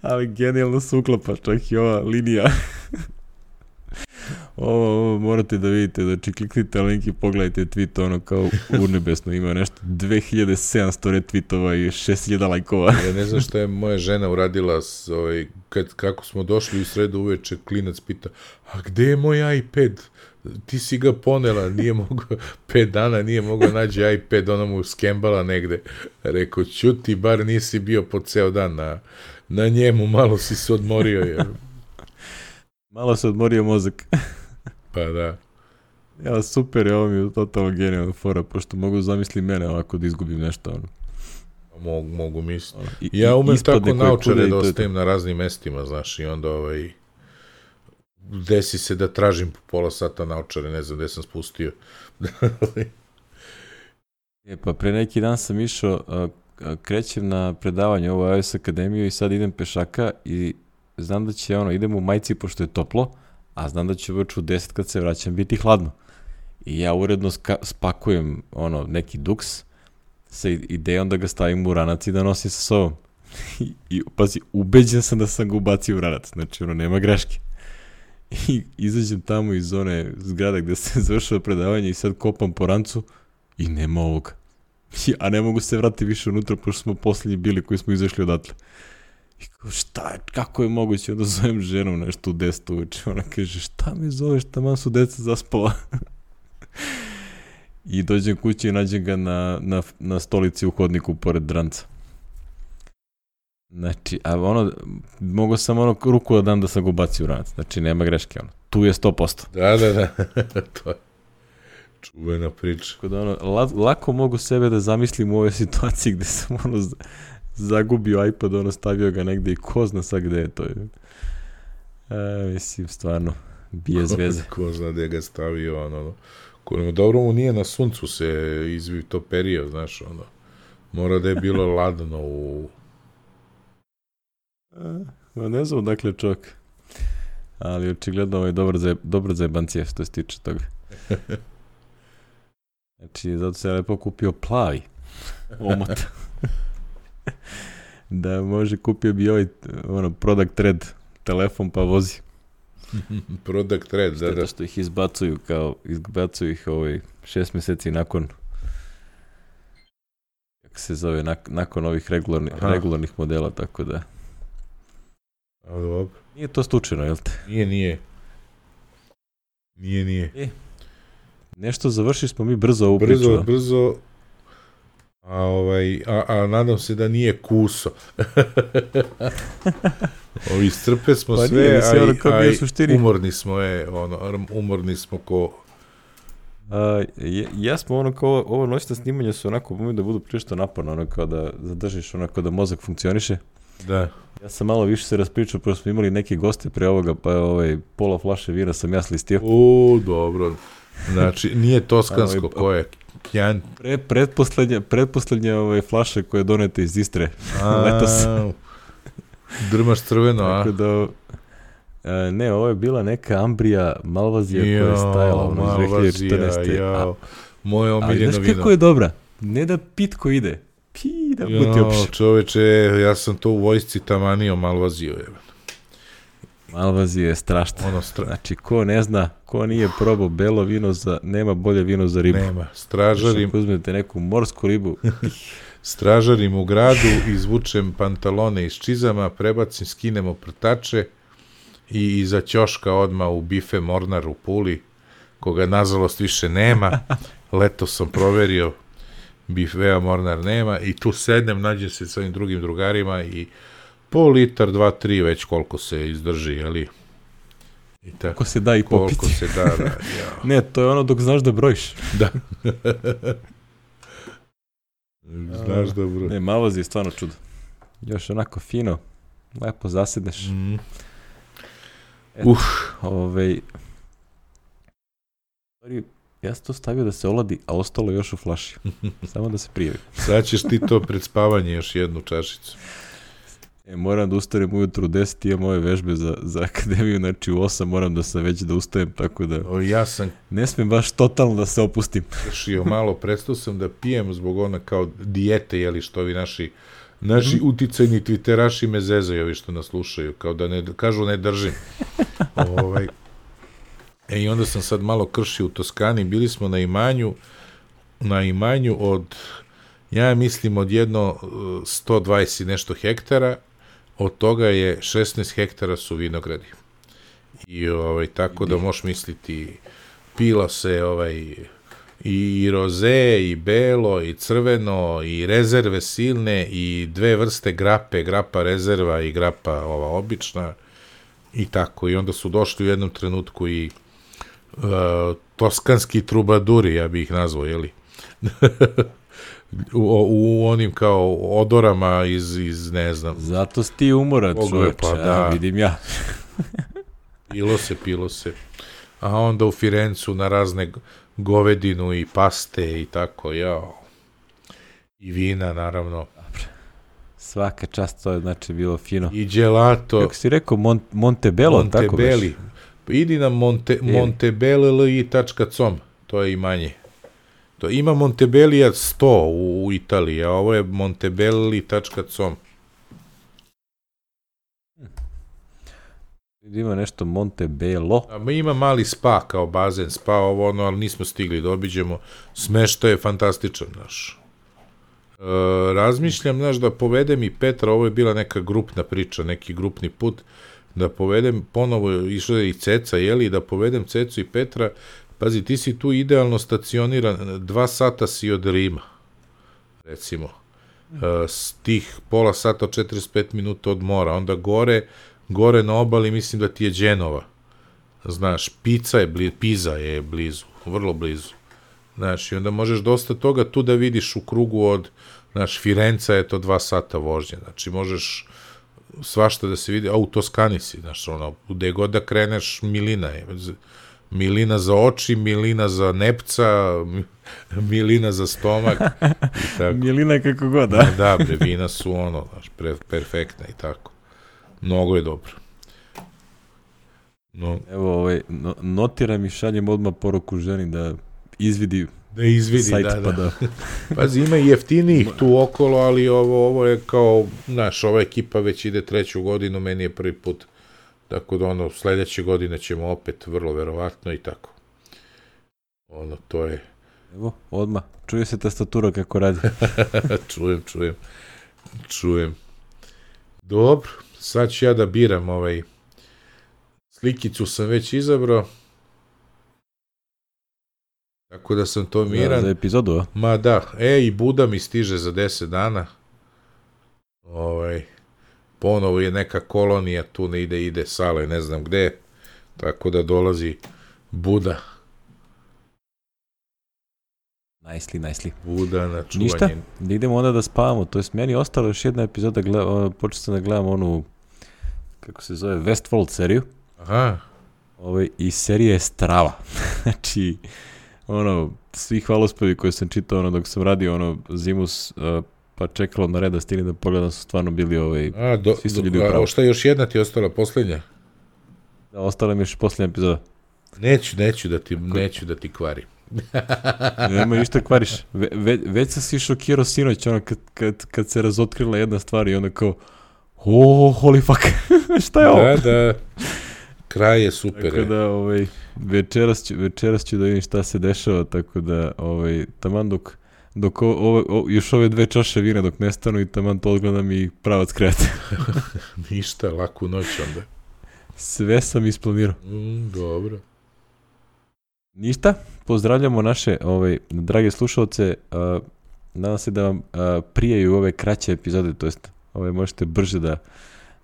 Ali genijalno se uklapa, čak i ova linija. ovo, ovo morate da vidite, znači kliknite na link i pogledajte tweet, ono kao urnebesno, ima nešto dve hiljade sedamsto retweetova i šest hiljada lajkova. Ja ne znam šta je moja žena uradila, s, ovaj, kad, kako smo došli u sredu uveče, klinac pita, a gde je moj iPad? Ti si ga ponela, nije mogao, pet dana nije mogao nađi iPad, ona mu skembala negde. Rekao, ćuti, bar nisi bio po ceo dan na, na njemu, malo si se odmorio. Jer... Malo se odmorio mozak. Pa da. Ja, super, ovo mi je totalno genijalna fora, pošto mogu zamisli mene ovako da izgubim nešto. Ono. Mogu, mogu misliti. Ono, i, ja umem tako naučare da to ostajem na raznim mestima, znaš, i onda ovaj... desi se da tražim po pola sata naočare, ne znam gde sam spustio. E, pa pre neki dan sam išao, a, a, krećem na predavanje ovo iOS Akademiju i sad idem pešaka i znam da će, ono, idem u majici pošto je toplo, a znam da će već u deset kad se vraćam biti hladno. I ja uredno ska, spakujem, ono, neki duks sa idejom da ga stavim u ranac i da nosim sa sobom. I, i pazi, ubeđen sam da sam ga ubacio u ranac, znači, ono, nema greške. I izađem tamo iz one zgrada gde se završava predavanje i sad kopam po rancu i nema ovoga. A ne mogu se vratiti više unutra pošto smo posljednji bili koji smo izašli odatle. I kao, šta je, kako je moguće? Onda zovem ženu nešto u deset uveče. Ona kaže, šta me zoveš, taman su deca zaspala. I dođem kući i nađem ga na, na, na stolici u hodniku pored ranca. Znači, a ono, mogu sam ono ruku da dam da sam ga ubacio u ranac. Znači, nema greške, ono. Tu je sto posto. Da, da, da. To je čuvena priča. Tako da, ono, la, lako mogu sebe da zamislim u ovoj situaciji gde sam, ono, z- zagubio iPad, ono, stavio ga negde i ko zna sad gde je to. E, mislim, stvarno, bije zveze. Ko zna gde ga stavio, ono, ono. Ko, dobro mu nije na suncu se izvi to perio, znaš, ono. Mora da je bilo ladno u... Ma ne znam dakle čovjek. Ali očigledno ovo je dobro za, dobro za jebancije što se tiče toga. Znači, zato se lepo kupio plavi omot. Da može, kupio bi ovaj ono, product red telefon pa vozi. Product red, da, da. Šteta što ih izbacuju kao, izbacuju ih ovaj šest mjeseci nakon kako se zove, nak, nakon ovih regularnih, regularnih modela, tako da. A, dobro. Nije to slučajno, jel te? Nije, nije. Nije, nije. E, nešto završi smo mi brzo ovu brzo, priču. Brzo, a, ovaj, a, a nadam se da nije kuso. Ovi strpe smo pa sve, nije, a, ono a, a suštini. umorni smo, je, ono, umorni smo ko... A, je, ja smo ono kao, ovo noćna snimanja su onako, umiju da budu prišto naporno, ono kao da zadržiš, onako da mozak funkcioniše. Da. Ja sam malo više se raspričao, prvo smo imali neke goste pre ovoga, pa ovaj, pola flaše vina sam ja slistio. U, dobro. Znači, nije toskansko, ko je? Kjan... Pre, predposlednja, predposlednja ovaj, flaše koje donete iz Istre. Letos. Drmaš crveno, a? Tako da, a, ne, ovo je bila neka Ambrija Malvazija koja je stajala ono, iz dve hiljade četrnaeste. Jao, moje omiljeno vino. Ali znaš kako je dobra? Ne da pitko ide. Pi, da buti opše. Čoveče, ja sam to u vojsci tamanio Malvaziju. Je. Malvazija je strašna. Ono stra... Znači, ko ne zna, ko nije probao belo vino, za, nema bolje vino za ribu. Nema. Stražarim... Ako uzmete neku morsku ribu. Stražarim u gradu, izvučem pantalone iz čizama, prebacim, skinem oprtače i iza ćoška odmah u bife Mornar u Puli, koga nažalost više nema. Leto sam proverio, bifea Mornar nema i tu sednem, nađem se sa ovim drugim drugarima i pol litar, dva, tri, već koliko se izdrži, jeli? I tako. Koliko se da i popiti. Koliko se da, da. Ja. Ne, to je ono dok znaš da brojiš. Da. Znaš da brojiš. Ne, Malvazija je stvarno čudo. Još onako fino, lepo zasedneš. Mm. Eto, uh. Ovej... Ja sam to stavio da se oladi, a ostalo još u flaši. Samo da se prijavi. Sad ćeš ti to pred spavanje još jednu čašicu. E, moram da ustanem ujutru u deset, imam ove vežbe za, za akademiju, znači u osam moram da sam već da ustajem, tako da o, ja sam ne smijem baš totalno da se opustim. Kršio malo, prestao sam da pijem zbog ona kao dijete, jeli što ovi naši, naši mm. uticajni twitteraši me zezaju, ovi što nas slušaju, kao da ne, kažu ne držim. ovaj. E, i onda sam sad malo kršio u Toskani, bili smo na imanju, na imanju od, ja mislim od jedno sto dvadeset i nešto hektara, od toga je šesnaest hektara su vinogradi. I ovaj, tako da možeš misliti, pilo se ovaj, i roze, i belo, i crveno, i rezerve silne, i dve vrste grape, grapa rezerva i grapa ova obična, i tako. I onda su došli u jednom trenutku i uh, toskanski trubaduri, ja bih ih nazvao, jeli? U, u onim kao odorama iz, iz ne znam. Zato si ti umoran, čovječe, pa, da. ja, vidim ja. Pilo se, pilo se. A onda u Firencu na razne govedinu i paste i tako, jao. I vina, naravno. Dobre. Svaka čast, to je znači bilo fino. I gelato. Kako si rekao, Mon, Montebello, Montebelli. tako već? Idi na Monte, montebelli tačka com, to je imanje. To ima Montebellija sto u, u Italiji, a ovo je montebelli tačka com. Ima nešto Montebello. A ima mali spa kao bazen, spa ovo ono, ali nismo stigli da obiđemo. Smeštaj je fantastičan, znaš. E, razmišljam, znaš, da povedem i Petra, ovo je bila neka grupna priča, neki grupni put, da povedem, ponovo išla je i Ceca, jeli, da povedem Cecu i Petra. Pazi, ti si tu idealno stacioniran, dva sata si od Rima, recimo. s tih pola sata, četrdeset pet minuta od mora, onda gore, gore na obali mislim da ti je Đenova. Znaš, Pica je blizu, Piza je blizu, vrlo blizu. Znaš, i onda možeš dosta toga tu da vidiš u krugu od, znaš, Firenca je to dva sata vožnje, znači možeš svašta da se vidi, a u Toskani si, znaš, ono, gde god da kreneš, milina je, milina za oči, milina za nepca, milina za stomak i tako. Milina kako god, da? Da, bre, vina su ono, znaš, pre, perfektna i tako. Mnogo je dobro. No. Evo, ovaj, no, notiram i šaljem odmah poruku ženi da izvidi da izvidi, sajt, da, da. Pa da. Pazi, ima i jeftinijih tu okolo, ali ovo, ovo je kao, znaš, ova ekipa već ide treću godinu, meni je prvi put, tako da ono, sledeće godine ćemo opet vrlo verovatno i tako. Ono, to je... Evo, odmah, čuje se tastatura kako radi. čujem, čujem, čujem. Dobro, sad ću ja da biram ovaj, slikicu sam već izabrao. Tako da sam to miran. Da, za epizodu, a? Ma da, e, i Buda mi stiže za deset dana. Ovaj, ponovo je neka kolonija, tu ne ide, ide Sale, ne znam gde. Tako da dolazi Buda. Nicely, nicely. Buda na čuvanje. Ništa, da idemo onda da spavamo. To je meni ostala još jedna epizoda, gleda, počeo sam da gledam onu, kako se zove, Westworld seriju. Aha. Ovaj, i serija je strava. Znači, ono, svi hvalospevi koje sam čitao ono, dok sam radio ono, Zimus, uh, pa čekalo na red da stigne da pogledam, su stvarno bili ovaj, a, do, svi su ljudi do, u pravu. A šta još jedna ti ostala, posljednja? Da, ostala mi još posljednja epizoda. Neću, neću da ti, neću da ti kvarim. Nema ništa kvariš. Ve, ve, već sam si šokirao sinoć, ono, kad, kad, kad se razotkrila jedna stvar i onda kao, oh, holy fuck, šta je ovo? Da, da, kraj je super. Tako da, ovaj, večeras ću, večeras ću da vidim šta se dešava, tako da, ovaj, taman dok, dok o, o, o, još ove dve čaše vina dok nestanu i taman to odgledam i pravac krete. Ništa, laku noć onda. Sve sam isplanirao. Mm, dobro. Ništa, pozdravljamo naše ovaj, drage slušalce, uh, nadam se da vam uh, prijaju ove kraće epizode, to jest ovaj, možete brže da,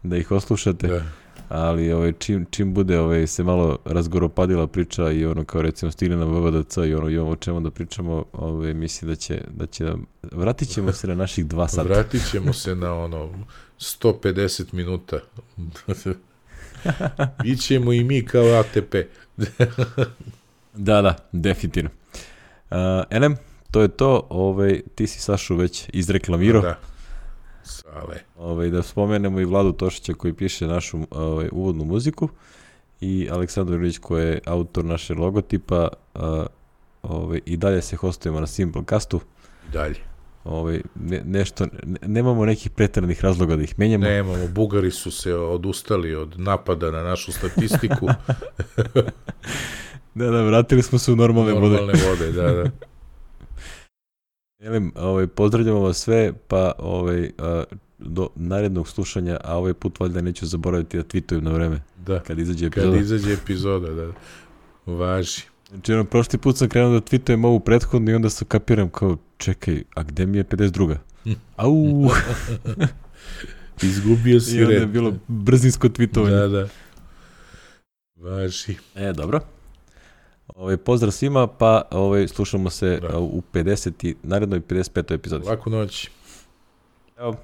da ih oslušate, Da. ali ovaj, čim, čim bude ovaj, se malo razgoropadila priča i ono kao recimo stigne na V V D C i ono imamo o čemu da pričamo, ovaj, mislim da će, da će nam, vratit ćemo se na naših dva sata. Vratit ćemo se na ono sto pedeset minuta. Ićemo i mi kao A T P. Da, da, definitivno. Uh, Elem, to je to, ovaj, ti si Sašu već izreklamirao. Da, Sale. Ovaj, da spomenemo i Vladu Tošića koji piše našu ovaj, uvodnu muziku i Aleksandar Ilić koji je autor naše logotipa. Uh, ovaj, i dalje se hostujemo na Simplecastu. I dalje. Ovaj, ne, nešto, ne, nemamo nekih preteranih razloga da ih menjamo. Nemamo, Bugari su se odustali od napada na našu statistiku. Da, da, vratili smo se u normalne, normalne vode. vode. Da, da. Jelim, ovaj, pozdravljamo vas sve, pa ovaj, a, do narednog slušanja, a ovaj put valjda neću zaboraviti da tweetujem na vreme. Da. Kad izađe epizoda. Kad izađe epizoda, da. Važi. Znači, ono, prošli put sam krenuo da tweetujem ovu prethodnu i onda sam kapiram kao, čekaj, a gde mi je pedeset druga? Au! Izgubio si I onda je red. bilo brzinsko tweetovanje. Da, da. Važi. E, dobro. Ovaj, pozdrav svima, pa ovaj, slušamo se Da. u pedeset narednoj pedeset petoj epizodi. Laku noć. Evo.